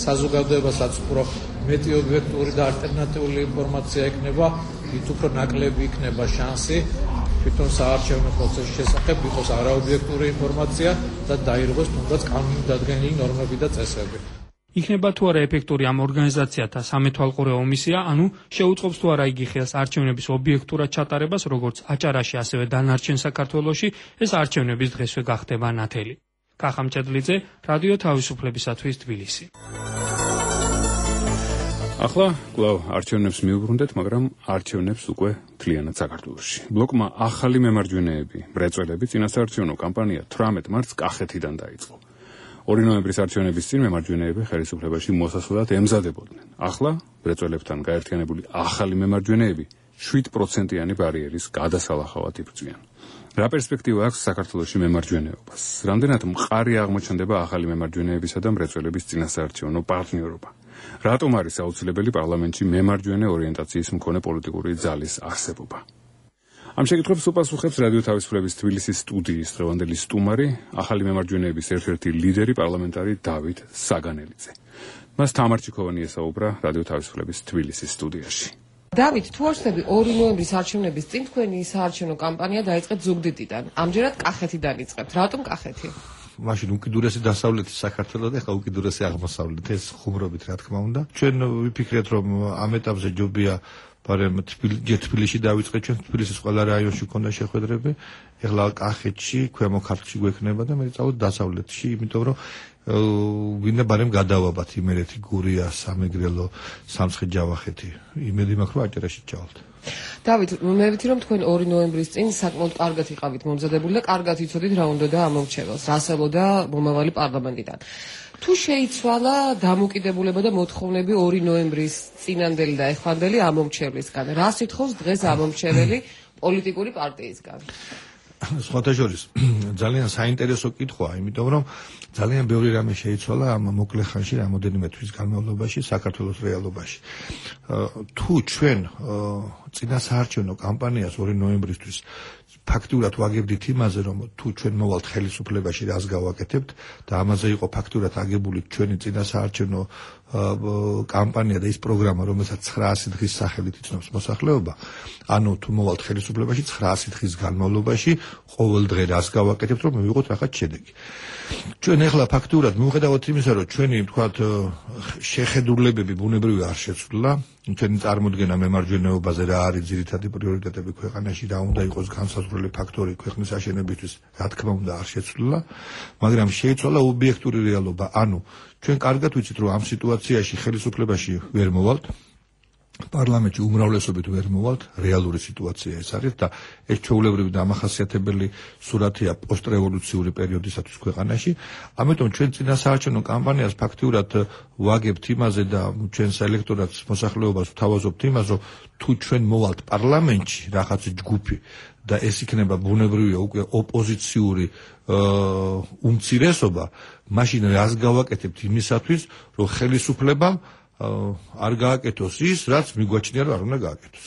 საზოგადოებასაც უფრო მეტი ობიექტური და ალტერნატიული ინფორმაცია იქნება, მით უფრო ნაკლები იქნება შანსი თვითონ საარჩევნო პროცესის შესახებ იყოს არაობიექტური ინფორმაცია და დაირღვეს თუნდაც კანონით დადგენილი ნორმები და წესები. იქნება თუ არა ეფექტური ამ ორგანიზაციათა სამეთვალყურეო მისია, ანუ შეუწყობს თუ არა იგი ხელს არჩევნების ობიექტურად ჩატარებას, როგორც აჭარაში, ასევე დანარჩენ საქართველოში, ეს არჩევნების დღესვე გახდება ნათელი. კახა მჭედლიძე, რადიო თავისუფლებისათვის თბილისი. ახლა კვლავ არჩევნებს მიუბრუნდეთ, მაგრამ არჩევნებს უკვე მთლიანად საქართველოში. ბლოკმა ახალი მემარჯვენეები, მრეწველები წინასაარჩევნო კამპანია 18 მარტს კახეთიდან დაიწყო. 2 ნოემბრის არჩევნების წინ მემარჯვენეები ხელისუფლებაში მოსასვლელად ემზადებოდნენ. ახლა მრეწველებთან გაერთიანებული ახალი მემარჯვენეები 7%-იანი ბარიერის გადასალახავად იბრძვიან. რა პერსპექტივა აქვს საქართველოში მემარჯვენეობას? რამდენად მყარი აღმოჩნდება ახალი მემარჯვენეებისა და მრეწველების წინასაარჩევნო პარტნიორობა? რატომ არის აუცილებელი პარლამენტში მემარჯვენე ორიენტაციის მქონე პოლიტიკური ძალის არსებობა? ამ შეკითხვებს უპასუხებს რადიო თავისუფლების თბილისის სტუდიის დღევანდელი სტუმარი, ახალი მემარჯვენეების ერთ-ერთი ლიდერი პარლამენტარი დავით საგანელიძე. მას თამარ ჩიქოვანი ესაუბრა რადიო თავისუფლების თბილისის სტუდიაში. დავით, თუ არ ვცდები 2 ნოემბრის არჩევნების წინ თქვენი საარჩევნო კამპანია დაიწყეთ ზუგდიდიდან. ამჯერად კახეთიდან იწყებთ. რატომ კახეთი? მაშინ უკიდურესი დასავლეთი საქართველოს და ხა უკიდურესი აღმოსავლეთი, ეს ხუმრობით რა თქმა უნდა. ჩვენ ვიფიქრეთ რომ ამ ეტაპზე ჯობია მაგრამ თბილისში დავიწყეთ, ჩვენ თბილისის ყველა რაიონში ქონდა შეხვედრები. ეხლა კახეთში, ქვემო ქართლში გვექნება და მე წავედ დასავლეთში, იმიტომ რომ ვინდა ბარემ გადავაბათ იმერეთი, გურია, სამეგრელო, სამცხე-ჯავახეთი. იმედი მაქვს რომ აჭარაში ჩავალთ. დავით, მე ვიცი რომ თქვენ 2 ნოემბრის წინ საკმაოდ კარგად იყავით მომზადებული და კარგად იცოდით რა უნდა და ამორჩეველს, რასელოდა მომავალი პარლამენტიდან. თუ შეიცვალა დამოკიდებულება და მოთხოვნები 2 ნოემბრის წინანდელი და ეხანდელი ამორჩევლისგან, რა სიტყვის დღეს ამორჩეველი პოლიტიკური პარტიისგან? სხვათა შორის ძალიან საინტერესო კითხვაა, იმიტომ რომ ძალიან ბევრი რამე შეიცვალა ამ მოკლე ხანში, რამოდენიმე თვის განმავლობაში საქართველოს რეალობაში. თუ ჩვენ წინასაარჩევნო კამპანიას 2 ნოემბრისთვის ფაქტურად ვაგებდით იმაზე, რომ თუ ჩვენ მოვალთ ხელისუფლებაში, რას გავაკეთებთ და ამაზე იყო ფაქტურად აგებული ჩვენი წინასაარჩევნო კამპანია და ის პროგრამა, რომელსაც 900 დღის სახელით იცნობს მოსახლეობა, ანუ თუ მოვალთ ხელისუფლებაში 900 დღის განმავლობაში ყოველ დღე რას გავაკეთებთ, რომ მივიღოთ რაღაც შედეგი. ჩვენ ახლა ფაქტურად მიუხედავად იმისა, რომ ჩვენი თქვათ შეხედულებები ბუნებრივი არ შეცვლა, ჩვენი წარმოდგენა მემარჯვენეობაზე რა არის ძირითადი პრიორიტეტები ქვეყანაში, რა უნდა იყოს განსაზღვრელი ფაქტორი ქვეყნის აშენებისთვის, რა თქმა უნდა არ შეცვლა, მაგრამ შეიცვალა ობიექტური რეალობა, ანუ ჩვენ კარგად ვიცით, რომ ამ სიტუაციაში ხელისუფლებაში ვერ მოვალთ. პარლამენტში უმრავლესობით ვერ მოვალთ, რეალური სიტუაცია ეს არის და ეს ჩვეულებრივი დამახასიათებელი სურათია პოსტრევოლუციური პერიოდისათვის ქვეყანაში. ამიტომ ჩვენ წინასაარჩევნო კამპანიას ფაქტიურად ვაგებთ იმაზე და ჩვენს ელექტორატს მოსახლეობას ვთავაზობთ იმას, რომ თუ ჩვენ მოვალთ პარლამენტში რაღაც ჯგუფი და ეს იქნება ბუნებრივია უკვე ოპოზიციური უმცირესობა, მაშინ რას გავაკეთებთ იმისათვის, რომ ხელისუფლებამ არ გააკეთოს ის, რაც მიგვაჩნია, რომ არ უნდა გააკეთოს.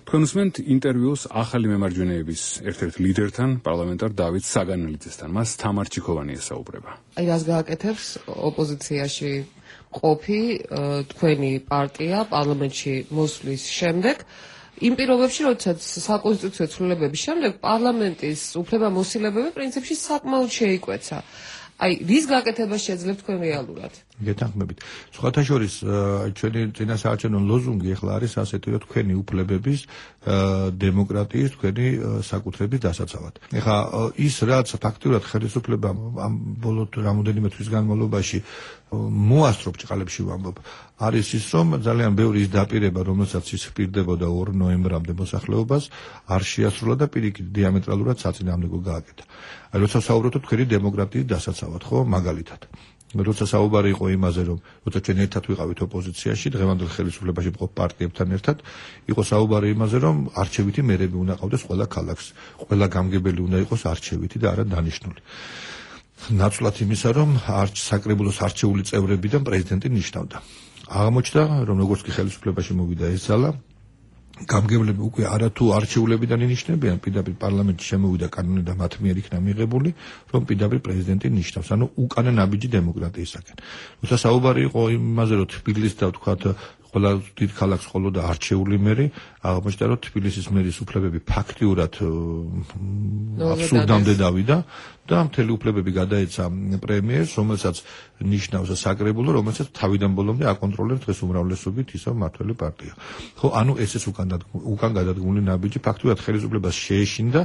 თქვენ უსმენთ ინტერვიუს ახალი მემარჯვენეების ერთ-ერთ ლიდერთან, პარლამენტარ დავით საგანელიძესთან. მას თამარ ჩიქოვანი ესაუბრება. აი რას გააკეთებს ოპოზიციაში ყოფი თქვენი პარტია პარლამენტში მოსვლის შემდეგ, იმ პირობებში, როდესაც საკონსტიტუციო ცვლილებების შემდეგ პარლამენტის უფლებამოსილებები პრინციპში საკმაოდ შეიკვეცა. აი, რის გაკეთებას შეძლებთ თქვენ რეალურად? გეთანხმებით. სხვათა შორის, ჩვენი წინასაარჩევნო ლოზუნგი ახლა არის ასეთი, რომ თქვენი უფლებების, დემოკრატიის, თქვენი საკუთრების დასაცავად. ეხლა ის, რაც ფაქტიურად ხელისუფლებამ ამ ბოლო რამოდენიმე თვის განმავლობაში მოასწრო ბრჭყალებში ვამბობ, არის ის, რომ ძალიან ბევრი ის დაპირება, რომელსაც ის ჰპირდებოდა 2 ნოემბრამდე მოსახლეობას, არ შეასრულა და პირიქით დიამეტრალურად საწინააღმდეგო გააკეთა. აი, როცა საუბრობთ თქვენი დემოკრატიის დასაცავად, ხო, მაგალითად. როცა საუბარი იყო იმაზე, რომ როცა ჩვენ ერთად ვიყავით ოპოზიციაში, დღევანდელ ხელისუფლებაში მყოფ პარტიებთან ერთად, იყო საუბარი იმაზე, რომ არჩევითი მერები უნდა ყავდეს ყველა ქალაქს, ყველა გამგებელი უნდა იყოს არჩევითი და არა დანიშნული. ნაცვლად იმისა, რომ საკრებულოს არჩეული წევრებიდან პრეზიდენტი ნიშნავდა. აღმოჩნდა, რომ როგორც კი ხელისუფლებაში მოვიდა ეს ძალა, გამგებლები უკვე არათუ არჩეულებიდან ინიშნებიან, პირდაპირ პარლამენტში შემოვიდა კანონი და მათ მიერ იქნა მიღებული, რომ პირდაპირ პრეზიდენტი ნიშნავს, ანუ უკანა ნაბიჯი დემოკრატიისაკენ. როცა საუბარი იყო იმაზე, რომ თბილისს და ვთქვათ ყველა დიდ ქალაქს ყოლოდა არჩეული მერი, აღმოჩნდა, რომ თბილისის მერის უფლებები ფაქტიურად აბსურდამდე დავიდა და მთელი უფლებები გადაეცა პრემიერს, რომელსაც ნიშნავს საკრებულო, რომელსაც თავიდან ბოლომდე აკონტროლებს დღეს უმრავლესობით ისა მმართველი პარტია. ხო, ანუ ესეც უკან გადადგმული ნაბიჯი ფაქტიურად ხელისუფლებას შეეშინდა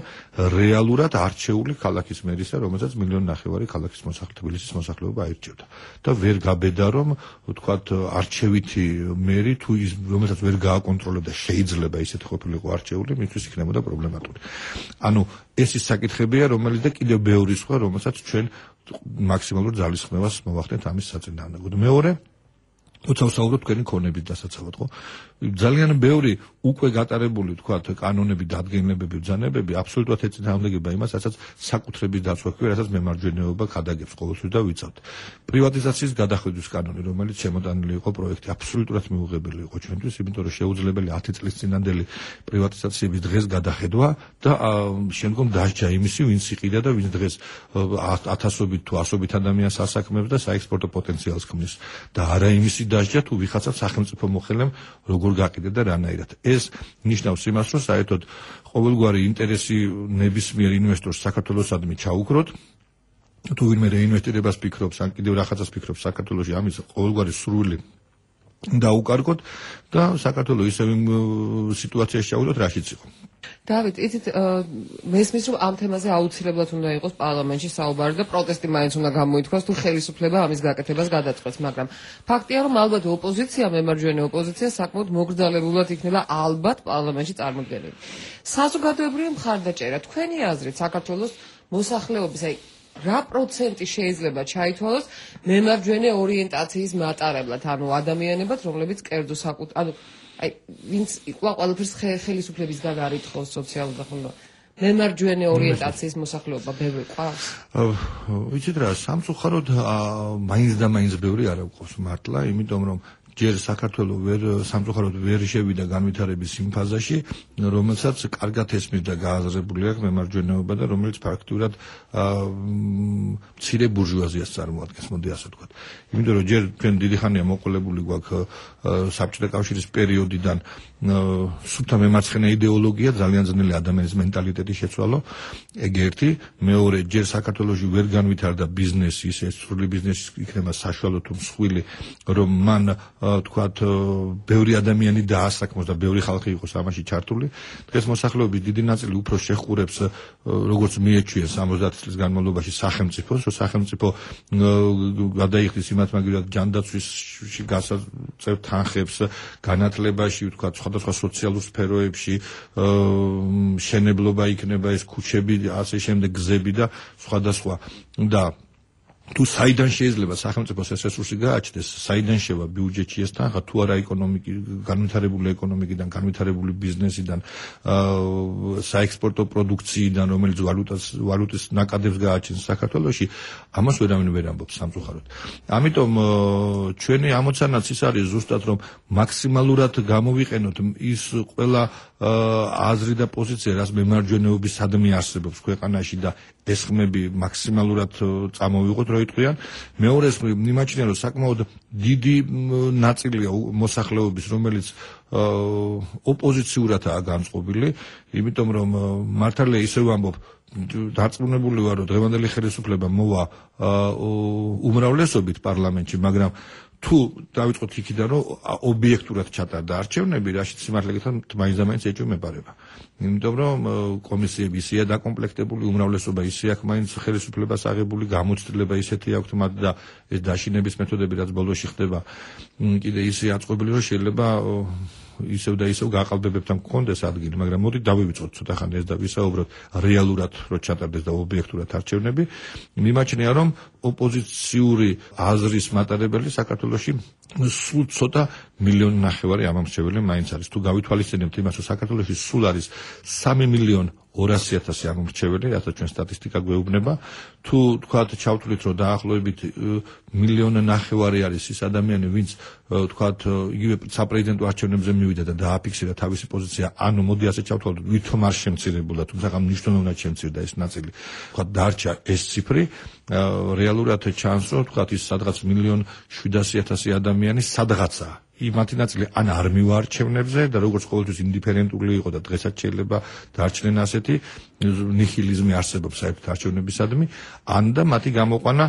რეალურად არჩეული ქალაქის მერისა, რომელსაც 1.5 მილიონი ქალაქის თბილისის მოსახლეობა აირჩევდა. და ვერ გაბედა, რომ ვთქვათ არჩევითი მერი თუ ის რომელსაც ვერ გააკონტროლებდა შეიძლება ისეთ ყოფილიყო არჩეული, მისთვის იქნებოდა პრობლემატური. ანუ ეს ის საკითხებია, რომელიც და კიდევ ბევრი სხვა, რომელსაც ჩვენ მაქსიმალურ ძალისხმევას მოვახდენთ ამის საწინააღმდეგოდ. მეორე, როცა ვსაუბრობთ თქვენი ქონების დასაცავად, ხო? ძალიან ბევრი უკვე გატარებული, თქვათ, კანონები, დადგენილებები, ბრძანებები აბსოლუტურად ეწინააღმდეგება იმას, რასაც საკუთრების დაცვა ქვია, რასაც მემარჯვენეობა ხადაგებს ყოველთვის და ვიცავთ. პრივატიზაციის გადახედვის კანონი, რომელიც შემოტანილი იყო პროექტი, აბსოლუტურად მიუღებელი იყო ჩვენთვის, იმიტომ რომ შეუძლებელი 10 წლის წინანდელი პრივატიზაციების დღეს გადახედვა და შემდგომ დასჯა იმისი, ვინც იყიდა და ვინც დღეს ათასობით თუ ასობით ადამიანს ასაქმებს და საექსპორტო პოტენციალს ქმნის და არა იმისი დასჯა თუ ვიღაცა სახელმწიფო მოხელემ როგორ გაყიდე და რანაირად. ეს ნიშნავს იმას, რომ საერთოდ ყოველგვარი ინტერესი ნებისმიერ ინვესტორს საქართველოსადმი ჩაუქროთ. თუ ვინმე რეინვესტირებას ფიქრობს, ან კიდევ რაღაცას ფიქრობს საქართველოში, ამის ყოველგვარი სურვილი დაუკარგოთ და საქართველოს ისევ სიტუაციაში ჩავიდოთ, რაშიც იყო. დავით, იცით, მესმის რომ ამ თემაზე აუცილებლად უნდა იყოს პარლამენტში საუბარი და პროტესტი მაინც უნდა გამოითქვას, თუ ხელისუფლება ამის გაკეთებას გადაწყვეტს, მაგრამ ფაქტია, რომ ალბათ ოპოზიცია, მემარჯვენე ოპოზიცია საკმაოდ მოგრძალებულად იქნება ალბათ პარლამენტში წარმოდგენილი. საზოგადოებრივი მხარდაჭერა, თქვენი აზრით, საქართველოს მოსახლეობის, აი რა პროცენტი შეიძლება ჩაითვალოს მემარჯვენე ორიენტაციის მატარებლად, ანუ ადამიანებად, რომლებიც კერძო ანუ აი ვინც ყველაფერს ხელისუფლებისგან არითხოს სოციალურ და მემარჯვენე ორიენტაციის მოსახლეობა ბევრი ყავს? ვიცით რა, სამწუხაროდ მაინც და მაინც ბევრი არ აქვს მართლა, იმიტომ რომ ჯერ საქართველოს სამწუხაროდ ვერ შევიდა განვითარების იმ ფაზაში, რომელსაც კარგად ესმის და გააზრებული აქვს მემარჯვენეობა და რომელიც ფაქტურად მცირე ბურჟუაზიას წარმოადგენს, მოდი ასე ვთქვათ. იმიტომ რომ ჯერ ჩვენ დიდი ხანია მოყოლებული გვაქვს საბჭოთა კავშირის პერიოდიდან სუფთა მემარცხენე იდეოლოგია, ძალიან ძნელი ადამიანის მენტალიტეტის შეცვალო, ეგ ერთი. მეორე, ჯერ საქართველოში ვერ განვითარდა ბიზნესი, ისე სრული ბიზნესი იქნება საშუალო თუ მსხვილი, რომ მან თქვათ ბევრი ადამიანი დაასაქმოს და ბევრი ხალხი იყოს ამაში ჩართული. დღეს მოსახლეობის დიდი ნაწილი უფრო შეხურებს როგორც მიეჩვიეს 70 წლის განმავლობაში სახელმწიფოს, რომ სახელმწიფო გადაიხდის იმათ მაგალითად ჯანდაცვისში გასაწევ თანხებს, განათლებაში, ვთქვათ, სხვადასხვა სოციალურ სფეროებში, შენებლობა იქნება ეს ქუჩები, ასე შემდეგ გზები და სხვადასხვა და თუ საიდან შეიძლება სახელმწიფოს ეს რესურსი გააჩნდეს, საიდან შევა ბიუჯეტში ეს თანხა, თუ არა განვითარებული ეკონომიკიდან, განვითარებული ბიზნესიდან, საექსპორტო პროდუქციიდან, რომელიც ვალუტის ნაკადებს გააჩენს საქართველოში, ამას ვერავინ ვერ ამბობს სამწუხაროდ. ამიტომ ჩვენი ამოცანაც ის არის ზუსტად, რომ მაქსიმალურად გამოვიყენოთ ის ყველა აზრი და პოზიცია, რაც მემარჯვენეობისადმი არსებობს ქვეყანაში და ეს ხმები მაქსიმალურად წამოვიღოთ, რო იტყვიან. მეორეს მიმაჩნია, რომ საკმაოდ დიდი ნაწილია მოსახლეობის, რომელიც ოპოზიციურადაა განწყობილი, იმიტომ რომ მართალია ისევ ამბობ, დარწმუნებული ვარ, რომ დღევანდელი ხელისუფლება მოვა უმრავლესობით პარლამენტში, მაგრამ თუ დავიწყოთ იქიდან, რომ ობიექტურად ჩატარდა არჩევნები, რაშიც სიმართლე გითხრათ, მაინც ეჭვი მეპარება. იმიტომ რომ კომისიები ისეა დაკომპლექტებული, უმრავლესობა ისე აქვს მაინც ხელისუფლებას აღებული, გამოცდილება ისეთი აქვთ მათ და ეს დაშინების მეთოდები, რაც ბოლოში ხდება, კიდე ისე აწყობილი, რომ შეიძლება ისევ და ისევ გაყალბებებთან გქონდეს ადგილი, მაგრამ მოდი დავივიწყოთ ცოტა ხანი ეს და ვისაუბროთ რეალურად, რომ ჩატარდეს და ობიექტურად არჩევნები. მიმაჩნია, რომ ოპოზიციური აზრის მატარებელი საქართველოში სულ ცოტა 1,5 მილიონი ამომრჩეველი მაინც არის. თუ გავითვალისწინებთ იმას, რომ საქართველოში სულ არის 3,200,000 ამომრჩეველი, რასაც ჩვენ სტატისტიკა გვეუბნება, თუ თქვათ ჩავთვლით, რომ დაახლოებით 1,5 მილიონი არის ის ადამიანი, ვინც თქვათ იგივე საპრეზიდენტო არჩევნებზე მივიდა და დააფიქსირა თავისი პოზიცია, ანუ მოდი ასე ჩავთვალოთ, ვითომ არ შემცირებულა, თუმცა მნიშვნელოვნად შემცირდა ეს ნაწილი. თქვათ დარჩა ეს ციფრი, რეალურად ჩანს, რომ თქვათ ის სადღაც 1,700,000 ადამიანი სადღაცა იმათი ნაწილი ან არ მივარჩევნებზე და როგორც ყოველთვის ინდიფერენტული იყო და დღესაც შეიძლება დარჩნენ ასეთი ნიჰილიზმი არსებობს საერთოდ არჩევნებისადმი, ან და მათი გამოყვანა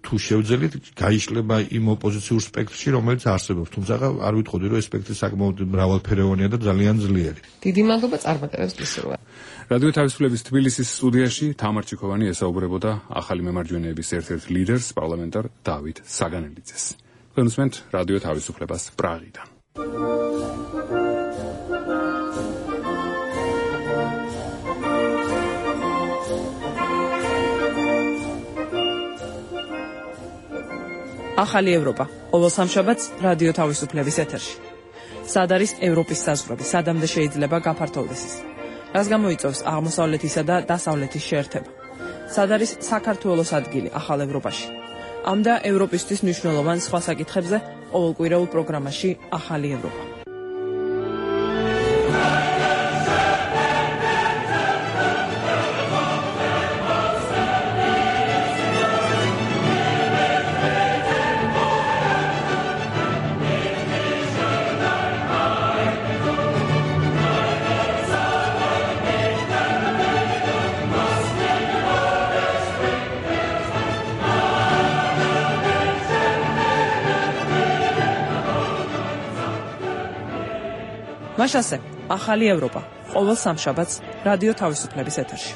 თუ შევძელით გაიშლება იმ ოპოზიციურ სპექტრში, რომელიც არსებობს, თუმცა არ ვიტყოდი, რომ ეს სპექტრი საკმაოდ მრავალფეროვანია და ძალიან ძლიერი. დიდი მადლობა წარმატებებს გისურვებ. რადიო თავისუფლების თბილისის სტუდიაში თამარ ჩიქოვანი ესაუბრებოდა ახალი მემარჯვენეების ერთ-ერთ ლიდერს, პარლამენტარ დავით საგანელიძეს. Konsument Radio თავისუფლებას პრაღიდან. ახალი ევროპა. ყოველ სამშაბათს რადიო თავისუფლების ეთერში. სად არის ევროპის საზღვრები? სადამდე შეიძლება გაფართოვდეს ის? რას გამოიწვევს აღმოსავლეთისა და დასავლეთის შეერთება? სად არის საქართველოს ადგილი ახალ ევროპაში? ამ და ევროპისთვის მნიშვნელოვან სხვა საკითხებზე ყოველკვირეულ პროგრამაში ახალი ევროპა. მაშასე, ახალი ევროპა, ყოველ სამშაბათს რადიო თავისუფლების ეთერში.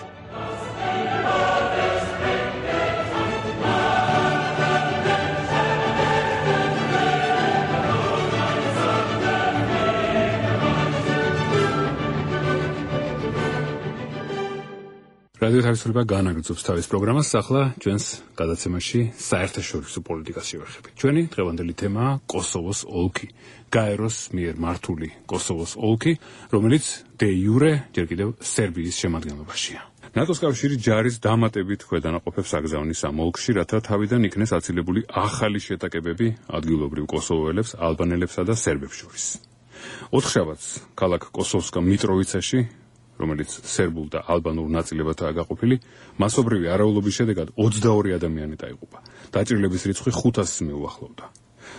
რადიო თავისუფლება განაგრძობს თავის პროგრამას, ახლა ჩვენს გადაცემაში საერთაშორისო პოლიტიკას შევეხებით. ჩვენი დღევანდელი თემაა კოსოვოს ოლქი. გაეროს მიერ მართული კოსოვოს ოლქი, რომელიც დე იურე ჯერ კიდევ სერბიის შემადგენლობაშია. ნატოს კავშირი ჯარის დამატებით ქვედანაყოფებს აგზავნის ამ ოლქში, რათა თავიდან იქნეს აცილებული ახალი შეტაკებები ადგილობრივ კოსოვოელებს, ალბანელებსა და სერბებს შორის. ოთხშაბათს ქალაქ კოსოვსკა მიტროვიცაში, რომელიც სერბულ და ალბანურ ნაწილებათაა გაყოფილი, მასობრივი არაულობის შედეგად 22 ადამიანი დაიღუპა. დაჭრილების რიცხვი 500-ს მიუახლოვდა.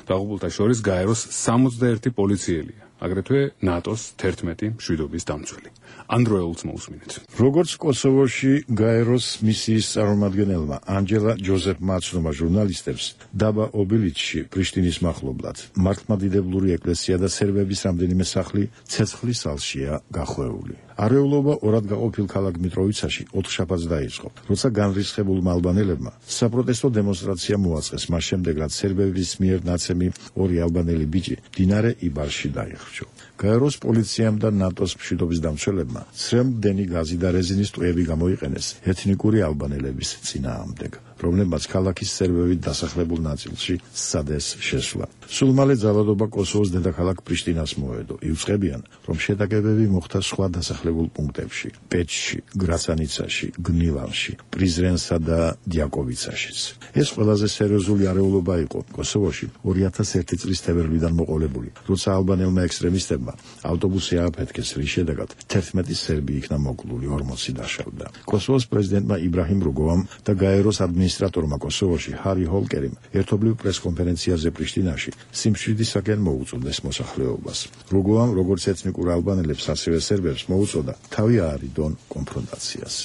დაღუპულთა შორის გაეროს 61 პოლიციელია, აგრეთვე ნატოს 11 მშვიდობის დამცველი. ანდროელს მოусმინეთ. როგორც კოსოვოში გაეროს მისიის წარმომადგენელმა ანჯელა ჯოზეფმა აცნობა ჟურნალისტებს, დაბა ობილიჩში, პრიშტინის მახლობლად, მართლმადიდებლური ეკლესია და სერბების რამდენიმე სახლი ცეცხლის ალშია გახვეული. არეულობა ორად გაყოფილ ქალაქ მიტროვიცაში 4 შაბათს დაიწყო, როცა განრისხებულმა ალბანელებმა საპროტესტო დემონსტრაცია მოაწყეს, მას შემდეგ რაც სერბების მიერ ნაცემი 2 ალბანელი ბიჭი მდინარე იბარში დაიხრჩო. გაეროს პოლიციამ და ნატოს მშვიდობის დამცველებმა სრემდენი გაზი და რეზინის ტყვეები გამოიყენეს ეთნიკური ალბანელების წინააღმდეგ, რომლებმაც ქალაქის სერბებით დასახლებულ ნაწილში სცადეს შესვლა. სულ მალე ძალადობა კოსოვოს დედაქალაქ პრიშტინას მოედო. იუწყებიან, რომ შეტაკებები მოხდა სხვა დასახლებულ პუნქტებში: პეჩში, გრაცანიცაში, გნილანში, პრიზრენსა და დიაკოვიცაშიც. ეს ყველაზე სერიოზული არეულობა იყო კოსოვოში 2001 წლის თებერვლიდან მოყოლებული, როცა ალბანელმა ექსტრემისტებმა ავტობუსი ააფეთქეს, რის შედეგად 11 სერბი იქნა მოკლული, 40 დაშავდა. კოსოვოს პრეზიდენტმა იბრაჰიმ რუგოვამ და გაეროს ადმინისტრატორმა კოსოვოში ჰარი ჰოლკერიმ ერთობლივ პრესკონფერენციაზე პრიშტინაში სიმშვიდისაკენ მოუწოდეს მოსახლეობას. რუგოვამ როგორც ეთნიკურ ალბანელებს, ასევე სერბებს მოუწოდა თავი აარიდონ კონფრონტაციას.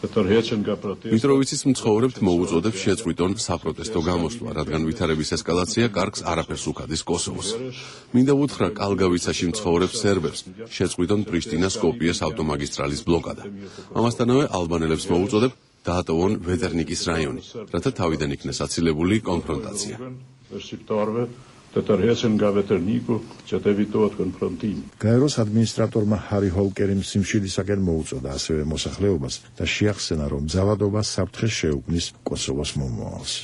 მიტროვიცის მცხოვრებთ მოუწოდებს შეწყვიტონ საპროტესტო გამოსვლა, რადგან ვითარების ესკალაცია კარგს არაფერს უქადის კოსოვოს. მინდა ვუთხრა კალგავიცაში მცხოვრებ სერბებს შეწყვიტონ პრიშტინა-სკოპიეს ავტომაგისტრალის ბლოკადა. ამასთანავე ალბანელებს მოუწოდებ დაატოვონ ვეტერნიკის რაიონი, რათა თავიდან იქნეს აცილებული კონფრონტაცია. გაეროს ადმინისტრატორმა ჰარი ჰოლკერიმ სიმშვიდისაკენ მოუწოდა ასევე მოსახლეობას და შეახსენა, რომ ძალადობა საფრთხეს შეუქმნის კოსოვოს მომავალს.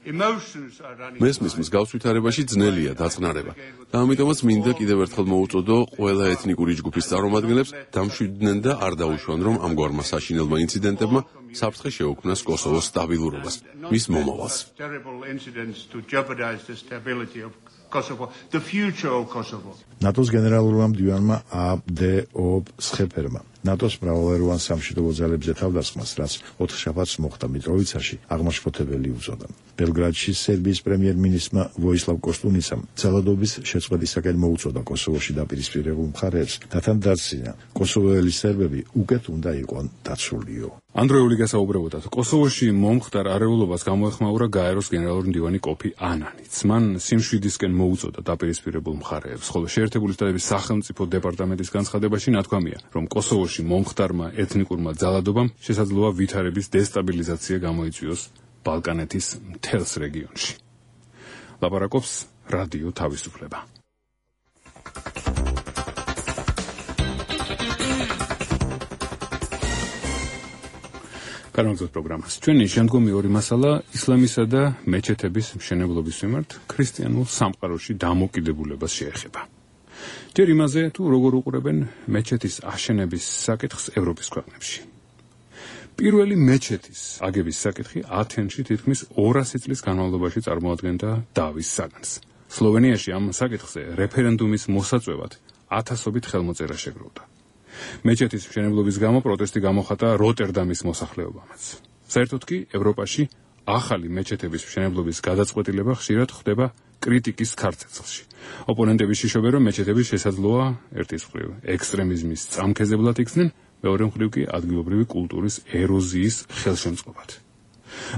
მესმის მსგავს ვითარებაში ძნელია დაწყნარება და ამიტომაც მინდა კიდევ ერთხელ მოუწოდო ყველა ეთნიკური ჯგუფის წარმომადგენლებს დამშვიდნენ და არ დაუშვან, რომ ამგვარმა საშინელმა ინციდენტებმა საფრთხე შეუქმნას კოსოვოს სტაბილურობას, მის მომავალს. ნატოს გენერალურმა მდივანმა აბდეობ სხეფერმა ნატოს მრავალეროვან სამშვიდობო ძალებზე თავდასხმას, რაც 4 შაბათს მოხდა მიტროვიცაში, აღმაშფოთებელი უწოდა. ბელგრადში სერბიის პრემიერ-მინისტრმა ვოისლავ კოსტუნიცამ ძალადობის შეწყვეტისაკენ მოუწოდა კოსოვოში დაპირისპირებულ მხარეებს და თან დასცინა, კოსოვოელი სერბები უკეთ უნდა იყვნენ დაცულიო. ანდროეული გასაუბრებოდათ, კოსოვოში მომხდარ არეულობას გამოეხმაურა გაეროს გენერალური მდივანი კოფი ანანიც. მან სიმშვიდისკენ მოუწოდა დაპირისპირებულ მხარეებს, ხოლო შეერთებული შტატების სახელმწიფო დეპარტამენტის განცხადებაში ნათქვამია, რომ კოსოვოში მომხდარმა ეთნიკურმა ძალადობამ შესაძლოა ვითარების დესტაბილიზაცია გამოიწვიოს ბალკანეთის მთელს რეგიონში. ლაპარაკობს რადიო თავისუფლება. განაგზავნოთ პროგრამას. ჩვენი შემდგომი ორი მასალა ისლამისა და მეჩეთების მშენებლობის მიმართ ქრისტიანულ სამყაროში დამოკიდებულებას შეეხება. ჯერ იმაზე, თუ როგორ უყურებენ მეჩეთის აშენების საკითხს ევროპის ქვეყნებში. პირველი მეჩეთის აგების საკითხი ათენში თითქმის 200 წლის განმავლობაში წარმოადგენდა დავის საგანს. სლოვენიაში ამ საკითხზე რეფერენდუმის მოსაწვევად ათასობით ხელმოწერა შეგროვდა. მეჩეთის მშენებლობის გამო პროტესტი გამოხატა როტერდამის მოსახლეობამაც. საერთოდ კი ევროპაში ახალი მეჩეთების მშენებლობის გადაწყვეტილება ხშირად ხდება კრიტიკის ქარცეცხლში. ოპონენტები შიშობენ, რომ მეჩეთები შესაძლოა ერთის მხრივ ექსტრემიზმის წამქეზებლად იქცნენ, მეორე მხრივ კი ადგილობრივი კულტურის ეროზიის ხელშემწყობად.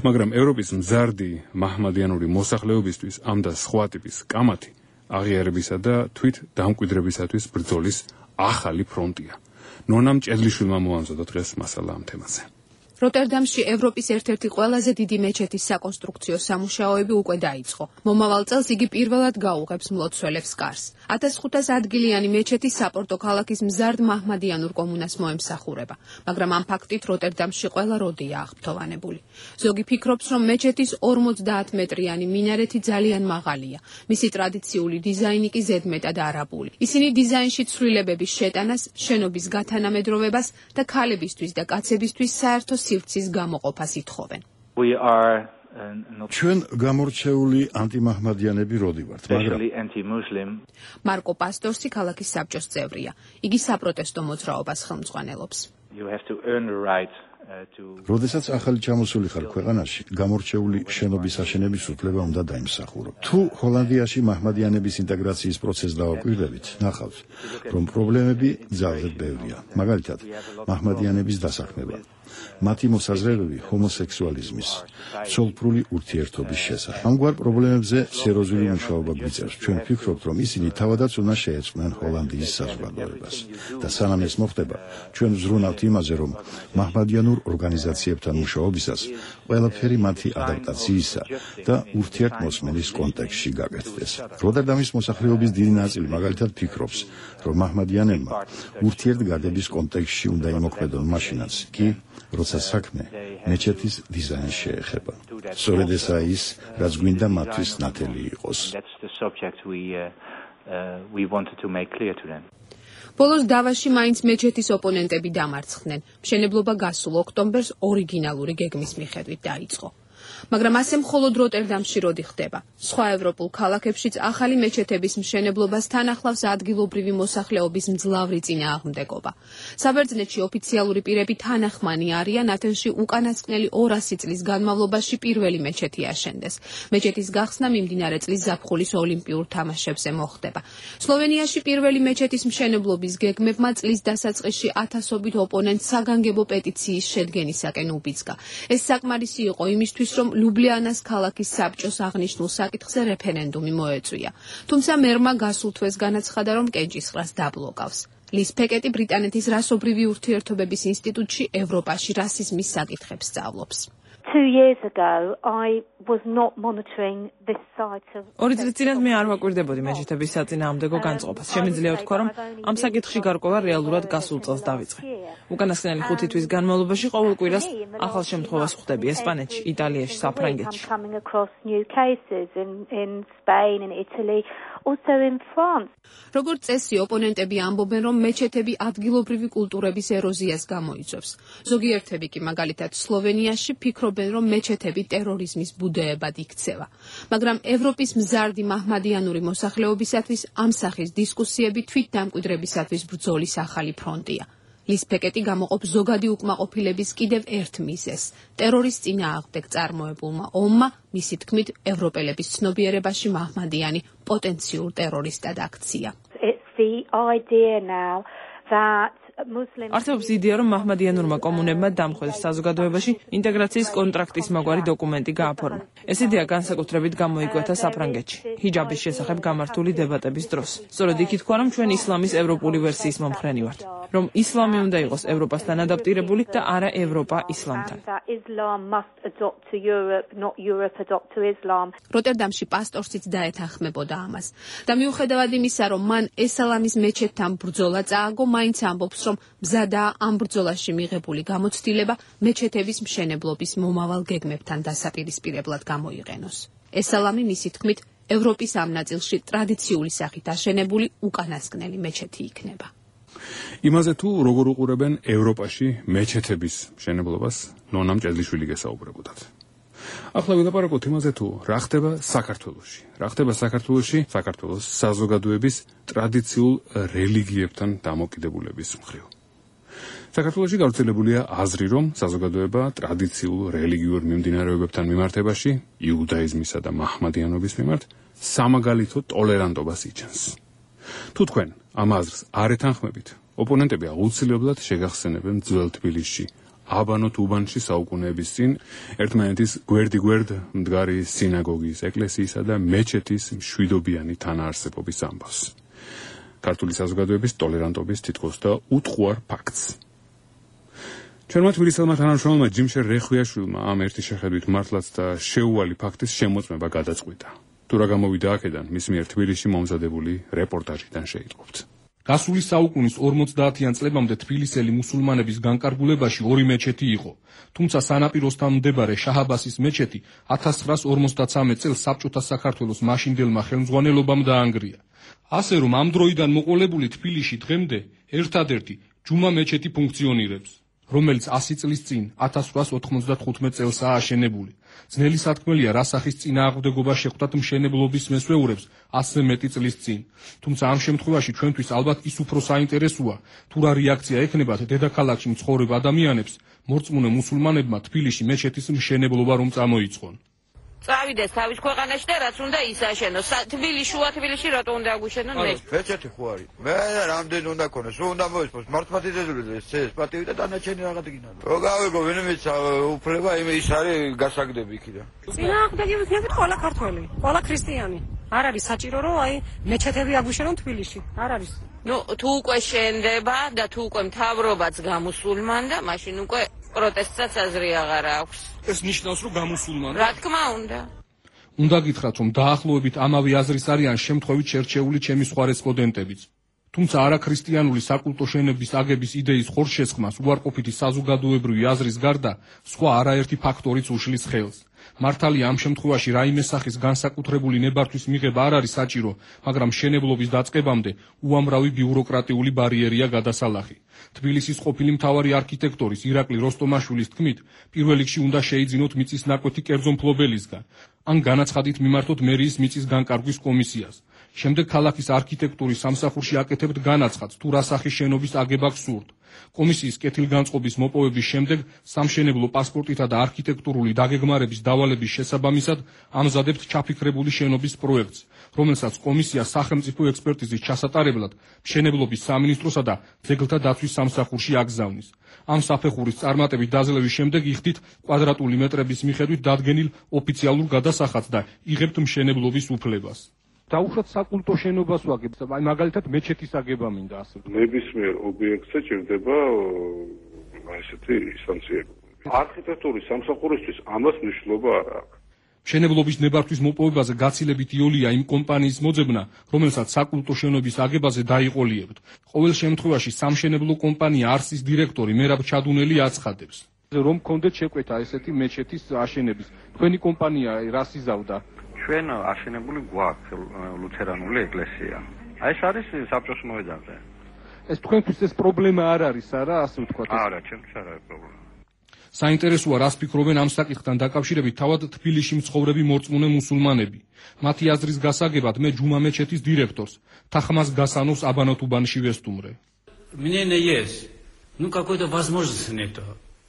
მაგრამ ევროპის მზარდი მაჰმადიანური მოსახლეობისთვის ამ და სხვა ტიპის კამათი აღიარებისა და თვით დამკვიდრებისათვის ბრძოლის ახალი ფრონტია. ნონამ ჭედლიშვილმა მოამზადა დღეს მასალა ამ თემაზე. როტერდამში ევროპის ერთ-ერთი ყველაზე დიდი მეჩეთის საკონსტრუქციო სამუშაოები უკვე დაიწყო. მომავალ წელს იგი პირველად გაუღებს მლოცველებს კარს. 1500 ადგილიანი მეჩეთი საპორტო ქალაქის მზარდ მაჰმადიანურ კომუნას მოემსახურება, მაგრამ ამ ფაქტით როტერდამში ყველა როდია აღფრთოვანებული. ზოგი ფიქრობს, რომ მეჩეთის 50 მეტრიანი მინარეთი ძალიან მაღალია. მისი ტრადიციული დიზაინი კი ზედმეტად არაბული. ისინი დიზაინში ცვლილებების შეტანას, შენობის გათანამედროვებას და ქალებისთვის და კაცებისთვის საერთო სივრცის გამოყოფას ითხოვენ. ჩვენ გამორჩეული ანტიმაჰმადიანები როდი ვართ, მაგრამ მარკო პასტორსი ქალაქის საბჭოს წევრია. იგი საპროტესტო მოძრაობას ხელმძღვანელობს. როდესაც ახალი ჩამოსული ხარ ქვეყანაში, გამორჩეული შენობის აშენების უფლება უნდა დაიმსახურო. თუ ჰოლანდიაში მაჰმადიანების ინტეგრაციის პროცესს დავაკვირდებით, ნახავთ, რომ პრობლემები ძალზედ ბევრია. მაგალითად, მაჰმადიანების დასაქმება, მათი მოსაზრებები ჰომოსექსუალიზმის, ცოლ-ბრული ურთიერთობის შესახებ. ამგვარ პრობლემებზე სერიოზული მუშაობა გვიწევს. ჩვენ ვფიქრობთ, რომ ისინი თავადაც უნდა შეეწყვნენ ჰოლანდიის საზოგადოებას. და სანამ ეს მოხდება, ჩვენ ვზრუნავთ იმაზე, რომ მაჰმადიანურ ორგანიზაციებთან მუშაობისას ყველაფერი მათი ადაპტაციისა და ურთიერთმოსმენის კონტექსტში გაკეთდეს. როტერდამის მოსახლეობის დიდი ნაწილი მაგალითად ფიქრობს, რომ მაჰმადიანებმა ურთიერთგადების კონტექსტში უნდა იმოქმედონ მაშინაც კი, როცა საქმე მეჩეთის დიზაინს შეეხება. სწორედ ესაა ის, რაც გვინდა მათთვის ნათელი იყოს. ბოლოს დავაში მაინც მეჩეთის ოპონენტები დამარცხდნენ. მშენებლობა გასულ ოქტომბერს ორიგინალური გეგმის მიხედვით დაიწყო. მაგრამ ასე მხოლოდ როტერდამში როდი ხდება. სხვა ევროპულ ქალაქებშიც ახალი მეჩეთების მშენებლობას თან ახლავს ადგილობრივი მოსახლეობის მძლავრი წინააღმდეგობა. საბერძნეთში ოფიციალური პირები თანახმანი არიან ათენში უკანასკნელი 200 წლის განმავლობაში პირველი მეჩეთი აშენდეს. მეჩეთის გახსნა მიმდინარე წლის ზაფხულის ოლიმპიურ თამაშებზე მოხდება. სლოვენიაში პირველი მეჩეთის მშენებლობის გეგმებმა წლის დასაწყისში ათასობით ოპონენტს საგანგებო პეტიციის შედგენისაკენ უბიძგა. ეს საკმარისი იყო იმისთვის, რომ ლუბლიანას ქალაქის საბჭოს აღნიშნულ საკითხზე რეფერენდუმი მოეწვია. თუმცა მერმა გასულ თვეს განაცხადა, რომ კენჭისყრას დაბლოკავს. ლის ფეკეტი ბრიტანეთის რასობრივი ურთიერთობების ინსტიტუტში ევროპაში რასიზმის საკითხებს სწავლობს. 2 years ago I was not monitoring this site of 2 წლის წინათ მე არ ვაკვირდებოდი მეჩეთების საწინააღმდეგო განწყობას. შემიძლია ვთქვა, რომ ამ საკითხში გარკვევა რეალურად გასულ წელს დავიწყე. უკანასკნელი 5 თვის განმავლობაში ყოველ კვირას ახალ შემთხვევას ხვდები ესპანეთში, იტალიაში, საფრანგეთში. როგორც წესი, ოპონენტები ამბობენ, რომ მეჩეთები ადგილობრივი კულტურების ეროზიას გამოიწვევს. ზოგიერთები კი მაგალითად სლოვენიაში ფიქრობენ, რომ მეჩეთები ტერორიზმის ბუდეებად იქცევა. მაგრამ ევროპის მზარდი მაჰმადიანური მოსახლეობისათვის ამ სახის დისკუსიები თვითდამკვიდრებისათვის ბრძოლის ახალი ფრონტია. ლის ფეკეტი გამოყოფს ზოგადი უკმაყოფილების კიდევ ერთ მიზეზს. ტერორის წინააღმდეგ წარმოებულმა ომმა, მისი თქმით, ევროპელების ცნობიერებაში მაჰმადიანი პოტენციურ ტერორისტად აქცია. არსებობს იდეა, რომ მაჰმადიანურმა კომუნებმა დამხველს საზოგადოებაში ინტეგრაციის კონტრაქტის მაგვარი დოკუმენტი გააფორმა. ეს იდეა განსაკუთრებით გამოიკვეთა საფრანგეთში, ჰიჯაბის შესახებ გამართული დებატების დროს. სწორედ იქ ითქვა, რომ ჩვენ ისლამის ევროპული ვერსიის მომხრენი ვართ, რომ ისლამი უნდა იყოს ევროპასთან ადაპტირებული და არა ევროპა ისლამთან. როტერდამში პასტორსიც დაეთანხმებოდა ამას. და მიუხედავად იმისა, რომ მან ესალამის მეჩეთთან ბრძოლა წააგო, მაინც ამბობს, რომ მზადაა ამ ბრძოლაში მიღებული გამოცდილება მეჩეთების მშენებლობის მომავალ გეგმებთან დასაპირისპირებლად გამოიყენოს. ესალამი მისი თქმით, ევროპის ამ ნაწილში ტრადიციული სახით აშენებული უკანასკნელი მეჩეთი იქნება. იმაზე თუ როგორ უყურებენ ევროპაში მეჩეთების მშენებლობას, ნონამ ჭედლიშვილი გესაუბრებოდათ. ახლა ვილაპარაკოთ იმაზე თუ რა ხდება საქართველოში. რა ხდება საქართველოში საქართველოს საზოგადოების ტრადიციულ რელიგიებთან დამოკიდებულების მხრივ. საქართველოში გავრცელებულია აზრი, რომ საზოგადოება ტრადიციულ რელიგიურ მიმდინარეობებთან მიმართებაში, იუდაიზმისა და მაჰმადიანობის მიმართ, სამაგალითო ტოლერანტობას იჩენს. თუ თქვენ ამ აზრს არ ეთანხმებით, ოპონენტები აუცილებლად შეგახსენებენ ძველ თბილისში, აბანოთ უბანში საუკუნეების წინ ერთმანეთის გვერდ-გვერდ მდგარი სინაგოგის, ეკლესიისა და მეჩეთის მშვიდობიანი თანაარსებობის ამბავს. ქართული საზოგადოების ტოლერანტობის თითქოს და უტყუარ ფაქტს. ჩვენმა თბილისელმა თანამშრომელმა ჯიმშერ რეხვიაშვილმა ამ ერთი შეხედვით მართლაც და შეუვალი ფაქტის შემოწმება გადაწყვიტა. თუ რა გამოვიდა აქედან, მის მიერ თბილისში მომზადებული რეპორტაჟიდან შეიტყობთ. გასული საუკუნის 50-იან წლებამდე თბილისელი მუსულმანების განკარგულებაში ორი მეჩეთი იყო, თუმცა სანაპიროსთან მდებარე შაჰაბასის მეჩეთი 1953 წელს საბჭოთა საქართველოს მაშინდელმა ხელმძღვანელობამ დაანგრია. ასე რომ ამ დროიდან მოყოლებული თბილისში დღემდე ერთადერთი ჯუმა მეჩეთი ფუნქციონირებს. რომელიც 100 წლის წინ 1895 წელსაა აშენებული. ძნელი სათქმელია, რა სახის წინააღმდეგობა შეხვდათ მშენებლობის მესვეურებს 100 მეტი წლის წინ. თუმცა ამ შემთხვევაში ჩვენთვის ალბათ ის უფრო საინტერესოა, თუ რა რეაქცია ექნებათ დედაქალაქში მცხოვრებ ადამიანებს, მორწმუნე მუსულმანებმა თბილისში მეჩეთის მშენებლობა რომ წამოიწყონ. წავიდეს თავის ქვეყანაში და რაც უნდა ისაშენოს. შუა თბილისში რატო უნდა აგუშენონ მე? მეჩეთი ხო არის? მე რამდენი უნდა ქონოს? სულ უნდა მოისმოს მართლმადიდებლები ეს პატივი და დანარჩენი რაღაც გინდა. რო გავიგო ვინმეც უფლება ის არის გასაგდები იქიდან. წინააღმდეგი ვიქნებით ყველა ქართველი, ყველა ქრისტიანი. არ არის საჭირო რომ აი მეჩეთები აგუშენონ თბილისში. არ არის. ნუ თუ უკვე შენდება და თუ უკვე მთავრობაც გამუსულმანდა, მაშინ უკვე პროტესტსაც აზრი აღარ აქვს. ეს ნიშნავს, რომ გამუსულმანდა. რა თქმა უნდა. უნდა გითხრათ, რომ დაახლოებით ამავე აზრის არიან შემთხვევით შერჩეული ჩემი სხვა რესპონდენტებიც. თუმცა არაქრისტიანული საკულტო შენების აგების იდეის ხორცშესხმას უარყოფითი საზოგადოებრივი აზრის გარდა სხვა არაერთი ფაქტორიც უშლის ხელს. მართალია ამ შემთხვევაში რაიმე სახის განსაკუთრებული ნებართვის მიღება არ არის საჭირო, მაგრამ მშენებლობის დაწყებამდე უამრავი ბიუროკრატიული ბარიერია გადასალახი. თბილისის ყოფილი მთავარი არქიტექტორის ირაკლი როსტომაშვილის თქმით, პირველ რიგში უნდა შეიძინოთ მიწის ნაკვეთი კერძო მფლობელისგან, ან განაცხადით მიმართოთ მერიის მიწის განკარგვის კომისიას. შემდეგ ქალაქის არქიტექტურის სამსახურში აკეთებთ განაცხადს, თუ რა სახის შენობის აგება გსურთ. კომისიის კეთილგანწყობის მოპოვების შემდეგ სამშენებლო პასპორტითა და არქიტექტურული დაგეგმარების დავალების შესაბამისად ამზადებთ ჩაფიქრებული შენობის პროექტს, რომელსაც კომისია სახელმწიფო ექსპერტიზის ჩასატარებლად მშენებლობის სამინისტროსა და ძეგლთა დაცვის სამსახურში აგზავნის. ამ საფეხურის წარმატებით დაძლევის შემდეგ იხდით კვადრატული მეტრების მიხედვით დადგენილ ოფიციალურ გადასახადს და იღებთ მშენებლობის უფლებას. დაუშვათ საკულტო შენობას ვაგებთ, აი მაგალითად მეჩეთის აგება მინდა ასე. ნებისმიერ ობიექტზე ჭირდება ესეთი სანქციები. არქიტექტურის სამსახურისთვის ამას მნიშვნელობა არ აქვს. მშენებლობის ნებართვის მოპოვებაზე გაცილებით იოლია იმ კომპანიის მოძებნა, რომელსაც საკულტო შენობის აგებაზე დაიყოლიებთ. ყოველ შემთხვევაში სამშენებლო კომპანია არსის დირექტორი მერაბ ჩადუნელი აცხადებს, რომ გქონდეთ შეკვეთა ესეთი მეჩეთის აშენების. თქვენი კომპანია რას იზავდა? ჩვენ აშენებული გვაქვს ლუთერანული ეკლესია. აი ეს არის საბჭოს მოედანზე. ეს თქვენთვის ეს პრობლემა არ არის, არა, ასე ვთქვათ? არა, ჩემთვის არ არის პრობლემა. საინტერესოა, რას ფიქრობენ ამ საკითხთან დაკავშირებით თავად თბილისში მცხოვრები მორწმუნე მუსულმანები. მათი აზრის გასაგებად მე ჯუმა მეჩეთის დირექტორს Тахмаз Гасановс Абанатубанში ვესტუმრე. Мне не есть. Ну какой-то возможности нету.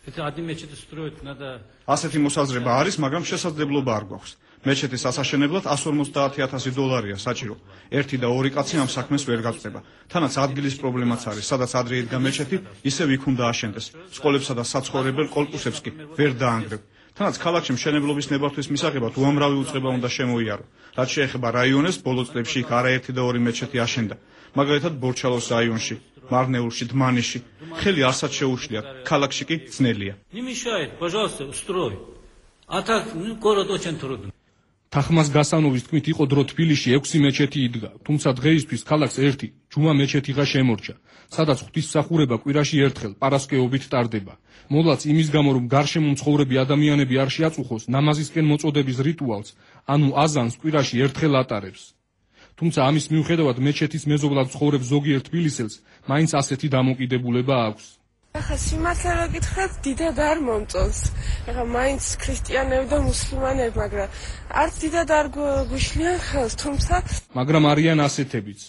Это одни мечети строят, надо. ასეთი მოსაზრება არის, მაგრამ შესაძლებლობა არ გვაქვს. მეჩეთის ასაშენებლად $150,000 საჭირო. ერთი და ორი კაცი ამ საქმეს ვერ გაწდება. თანაც ადგილის პრობლემაც არის, სადაც ადრე იდგა მეჩეთი, ისევ იქ უნდა აშენდეს. სკოლებსა და საცხოვრებელ კორპუსებს კი ვერ დაანგრევ. თანაც ქალაქში მშენებლობის ნებართვის მისაღებად უამრავი უწყება უნდა შემოიარო. რაც შეეხება რაიონებს, ბოლო წლებში იქ არაერთი და ორი მეჩეთი აშენდა. მაგალითად ბორჩალოს რაიონში, მარნეულში, დმანიში. ხელი არსად შეუშლიათ, ქალაქში კი ძნელია. Не мешает, пожалуйста, устрой. А так, город очень трудный. Тахмаз Гасановის თქმით, იყო დრო თბილისში 6 მეჩეთი იდგა, თუმცა დღეისთვის ქალაქს ერთი ჯუმა მეჩეთიღა შემორჩა, სადაც ღვთისმსახურება კვირაში ერთხელ პარასკევობით ტარდება. მოლაც იმის გამო, რომ გარშემო მცხოვრები ადამიანები არ შეაწუხოს ნამაზისკენ მოწოდების რიტუალს, ანუ აზანს კვირაში ერთხელ ატარებს. თუმცა ამის მიუხედავად მეჩეთის მეზობლად ცხოვრებ ზოგიერთ თბილისელს მაინც ასეთი დამოკიდებულება აქვს. ახლა სიმართლე რომ გითხრათ, დიდად არ მომწონს. ახლა მაინც ქრისტიანები და მუსლიმანები, მაგრამ არც დიდად არ გვიშლიან ხელს, თუმცა მაგრამ არიან ასეთებიც.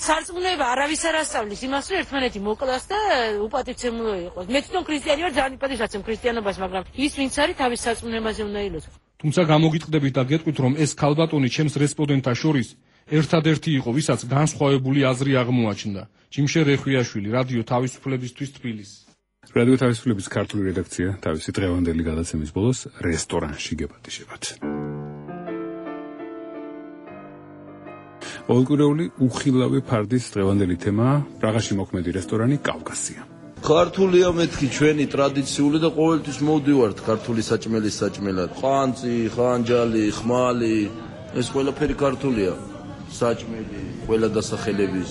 სარწმუნოება არავის არ ასწავლის იმას, რომ ერთმანეთი მოკლას და უპატივცემულო იყოს. მე თვითონ ქრისტიანი ვარ, ძალიან იპატივსაცემ ქრისტიანობას, მაგრამ ის ვინც არის თავის სარწმუნოებაზე უნდა ილოცოს. თუმცა გამოგიტყდებით და გეტყვით, რომ ეს ქალბატონი ჩემს რესპონდენტთა შორის ერთადერთი იყო, ვისაც განსხვავებული აზრი აღმოაჩნდა. ჯიმშე რეხვიაშვილი, რადიო თავისუფლებისთვის თბილისი. რადიო თავისუფლების ქართული რედაქცია თავისი დღევანდელი გადაცემის ბოლოს რესტორანში გეპატიჟებათ. ოლკურეული უხილავი ფარდის დღევანდელი თემაა პრაღაში მოქმედი რესტორანი კავკასია. ქართულია მეთქი ჩვენი ტრადიციული და ყოველთვის მოვდივართ ქართული საჭმელის საჭმელად. ყანწი, ხანჯალი, ხმალი, ეს ყველაფერი ქართულია. საჭმელი, ყველა დასახელების.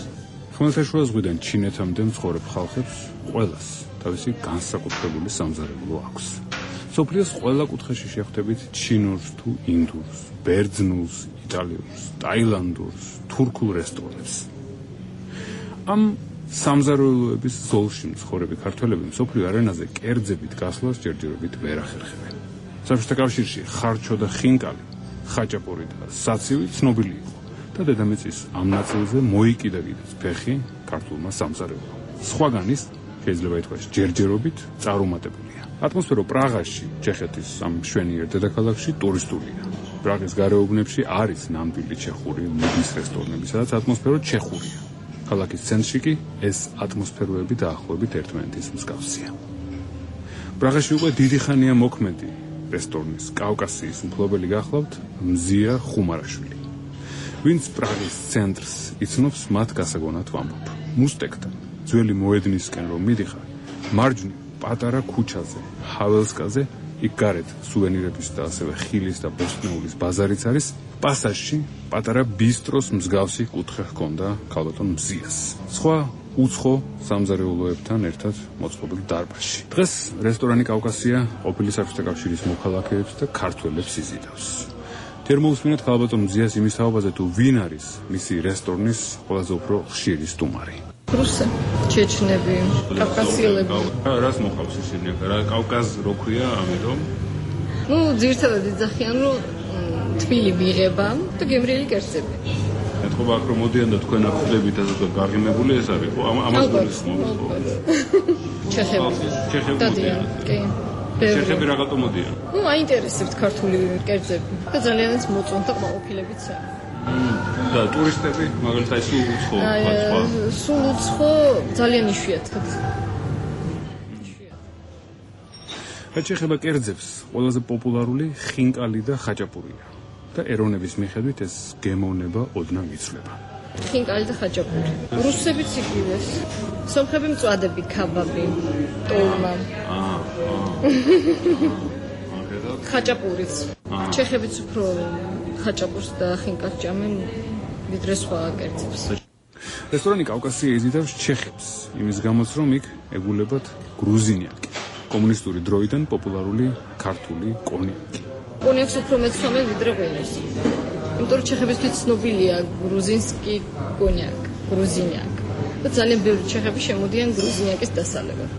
ხმელთაშუა ზღვიდან ჩინეთამდე მცხოვრებ ხალხებს ყველას თავისი განსაკუთრებული სამზარეულო აქვს. სოფლიოს ყველა კუთხეში შეხვდებით ჩინურს თუ ინდურს, ბერძნულს, იტალიურს, ტაილანდურს, თურქულ რესტორნებს. ამ სამზარეულოების ზოლში მცხოვრები ქართველები მსოფლიო არენაზე კერძებით გასვლას ჯერჯერობით ვერ ახერხებენ. საბჭოთა კავშირში ხარჩო და ხინკალი, ხაჭაპური და საცივი ცნობილი იყო და დედამიწის ამ ნაწილზე მოიკიდა კიდეც ფეხი ქართულმა სამზარეულომ. სხვაგან ის შეიძლება ითქვას ჯერჯერობით წარუმატებულია. ატმოსფერო პრაღაში, ჩეხეთის ამ მშვენიერ დედაქალაქში ტურისტულია. პრაღის გარეუბნებში არის ნამდვილი ჩეხური მუდის რესტორნები, სადაც ატმოსფერო ჩეხურია. ქალაქის ცენტრში კი ეს ატმოსფეროები დაახლოებით ერთმანეთის მსგავსია. პრაღაში უკვე დიდი ხანია მოქმედი რესტორნის კავკასიის მფლობელი გახლავთ მზია ხუმარაშვილი. ვინც პრაღის ცენტრს იცნობს, მათ გასაგონად ვამბობ. მუსტეკთან ძველი მოედნისკენ რომ მიდიხარ, მარჯვნივ პატარა ქუჩაზე, ჰაველსკაზე, იქ გარეთ სუვენირების და ასევე ხილის და ბოსტნეულის ბაზარიც არის, პასაჟში პატარა ბისტროს მსგავსი კუთხე ჰქონდა ქალბატონ მზიას. სხვა უცხო სამზარეულოებთან ერთად მოწყობილ დარბაზში. დღეს რესტორანი კავკასია ყოფილი საბჭოთა კავშირის მოქალაქეებს და ქართველებს იზიდავს. თერმოუსმინეთ ქალბატონ მზიას იმის თაობაზე თუ ვინ არის მისი რესტორნის ყველაზე უფრო ხშირი სტუმარი. რუსი, ჩეჩნები, კავკასიელები. რას მოყავს ისინი? რა კავკაზ რო ქვია, ამიტომ? ძირითადად იძახიან, რომ თბილი მიღება და გემრიელი კერძები. ეთქობა აქ რომ მოდიან და თქვენ აქ ხდებით ასე გაღიმებული ეს არის, ხო? ამას გულისხმობს. ჩეხები. დადიან, კი. ჩეხები რაღაცა მოდიან. აინტერესებთ ქართული კერძები და ძალიანაც მოწონთ და ყოფილებიც არის. და ტურისტები, მაგალითად სულ უცხო, სულ უცხო ძალიან იშვიათად. ჩეხება კერძებს ყველაზე პოპულარული ხინკალი და ხაჭაპურია და ეროვნების მიხედვით ეს გემოვნება ოდნავ იცვლება. ხინკალი და ხაჭაპური. რუსებიც იგივეს. სომხები მწვადები, ქაბაბი, ტოლმა. ხაჭაპურიც. ჩეხებიც უფრო ხაჭაპურს და ხინკალს ჭამენ ვიდრე სხვა კერძებს. რესტორანი კავკასია იზიდავს ჩეხებს, იმის გამოც რომ იქ ეგულებათ გრუზინიაკი, კომუნისტური დროიდან პოპულარული ქართული კონიაკი. კონიაკს უფრო მეცნობენ ვიდრე ღვინოს. იმიტომ რომ ჩეხებისთვის ცნობილია გრუზინსკი კონიაკი, გრუზინიაკი. და ძალიან ბევრი ჩეხები შემოდიან გრუზინიაკის დასალებად.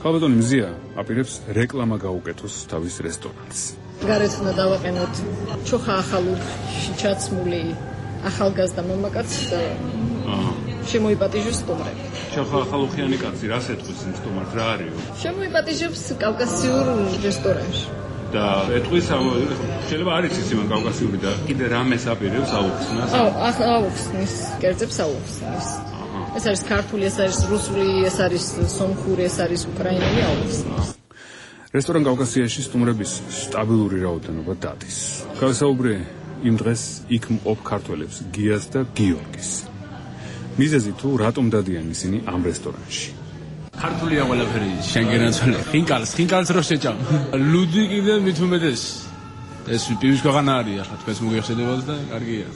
ქალბატონი მზია აპირებს რეკლამა გაუკეთოს თავის რესტორანს. გარეთ უნდა დავაყენოთ ჩოხა ახალურში ჩაცმული ახალგაზრდა მამაკაცი და შემოიპატიჟოს სტუმრები. ჩოხა ახალუხიანი კაცი რას ეთქვის იმ სტუმარს, რა არისო? შემოიპატიჟებს კავკასიურ რესტორანში. და ეთქვის შეიძლება არის ის იმ კავკასიური და კიდე რამეს აპირებს აუხსნას? აუხსნის, კერძებს აუხსნის. ეს არის ქართული, ეს არის რუსული, ეს არის სომხური, ეს არის უკრაინული აუხსნის. რესტორან კავკასიაში სტუმრების სტაბილური რაოდენობა დადის. გავესაუბრე იმ დღეს იქ მყოფ ქართველებს გიას და გიორგის. მიზეზი თუ რატომ დადიან ისინი ამ რესტორანში? ქართულია ყველაფერი, შენ გენაცვალე. ხინკალს რო შეჭამ. ლუდი კიდე მით უმეტეს. ეს პივის ქვეყანა არის ახლა თქვენს მოგეხსენებათ და კარგია.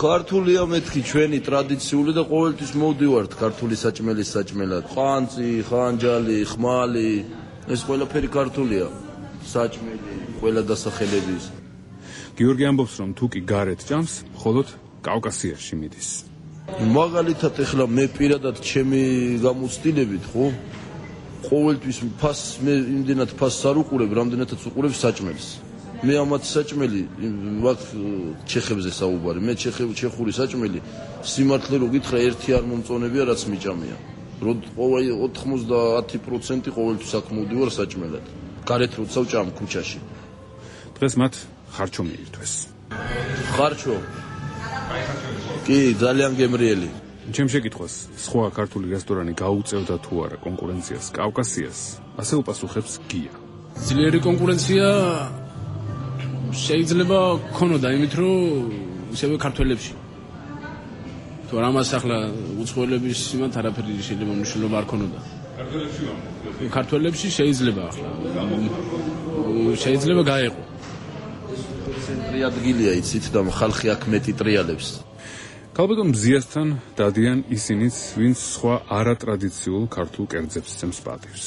ქართულია მეთქი ჩვენი ტრადიციული და ყოველთვის მოვდივართ ქართული საჭმელის საჭმელად. ყანწი, ხანჯალი, ხმალი, ეს ყველაფერი ქართულია. საჭმელი, ყველა დასახელების. გიორგი ამბობს, რომ თუ კი გარეთ ჭამს, მხოლოდ კავკასიაში მიდის. მაგალითად ეხლა მე პირადად ჩემი გამოცდილებით, ხო? ყოველთვის ფასს მე იმდენად ფასს არ უყურებ, რამდენადაც უყურებ საჭმელს. მე ამათ საჭმელი ვაკ ჩეხებზე საუბარი. მე ჩეხური საჭმელი სიმართლე რო გითხრა ერთი არ მომწონებია, რაც მიჭამია. რომ 90% ყოველთვის აქ მოვდივარ საჭმელად. გარეთ როცა ვჭამ ქუჩაში. დღეს მათ ხარჩო მიირთვეს. ხარჩო? კი, ძალიან გემრიელი. ჩემ შეკითხვას, სხვა ქართული რესტორანი გაუწევდა თუ არა კონკურენციას კავკასიას, ასე უპასუხებს გია. ძლიერი კონკურენცია შეიძლება ქონოდა იმით, რომ ისევე ქართველებში. თუ არ ამას ახლა უცხოელების იმათ არაფერი შეიძლება მნიშვნელობა არ ქონოდა. ქართველებში შეიძლება ახლა. შეიძლება გაეყო. ცენტრი ადგილია იცით და ხალხი აქ მეტი ტრიალებს. ქალბატონ მზიასთან დადიან ისინიც, ვინც სხვა არატრადიციულ ქართულ კერძებს ცემს პატივს.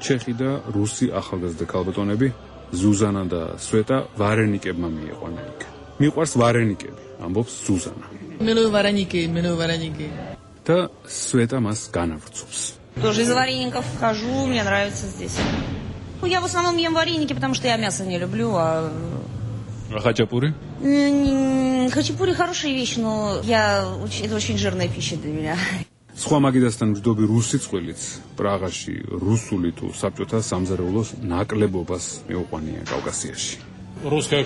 ჩეხი და რუსი ახალგაზრდა ქალბატონები ზუზანა და სვეტა ვარენიკებმა მიიყვანა იქ. მიყვარს ვარენიკები, ამბობს ზუზანა. მენო ვარენიკი. და სვეტა მას განავრცობს. Тоже из вареников хожу, мне нравится здесь. Я в основном ем вареники, потому что я мясо не люблю, а Хачапури? Хачапури хорошая вещь, но это очень жирная пища для меня. სხვა მაგიდასთან მჯდობი რუსი წყვილიც პრაღაში რუსული თუ საბჭოთა სამზარეულოს ნაკლებობას მეუყვანია კავკასიაში. Русской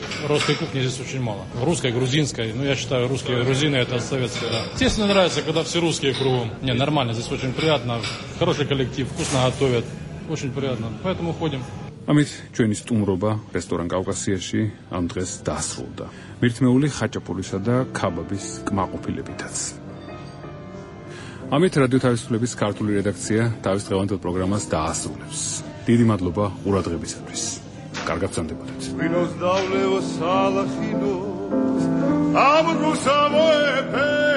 кухни здесь очень мало. Русской, грузинской. Ну, я считаю, русские и грузины это советская. Да. Естественно, нравится, когда все русские кругом. Не, нормально, здесь очень приятно. Хороший коллектив, вкусно готовят. Очень приятно. Поэтому ходим. ამით ჩვენი სტუმრობა რესტორან კავკასიაში ამ დღეს დასრულდა. მირთმეული ხაჭაპურისა და ქაბაბის კმაყოფილებითაც. ამით რადიო თავისუფლების ქართული რედაქცია თავის დღევანდელ პროგრამას დაასრულებს. დიდი მადლობა ყურადღებისათვის. კარგად გრძანდებოდეთ. ვინოს დავლევო სალახინოს ამ რუსამოეფე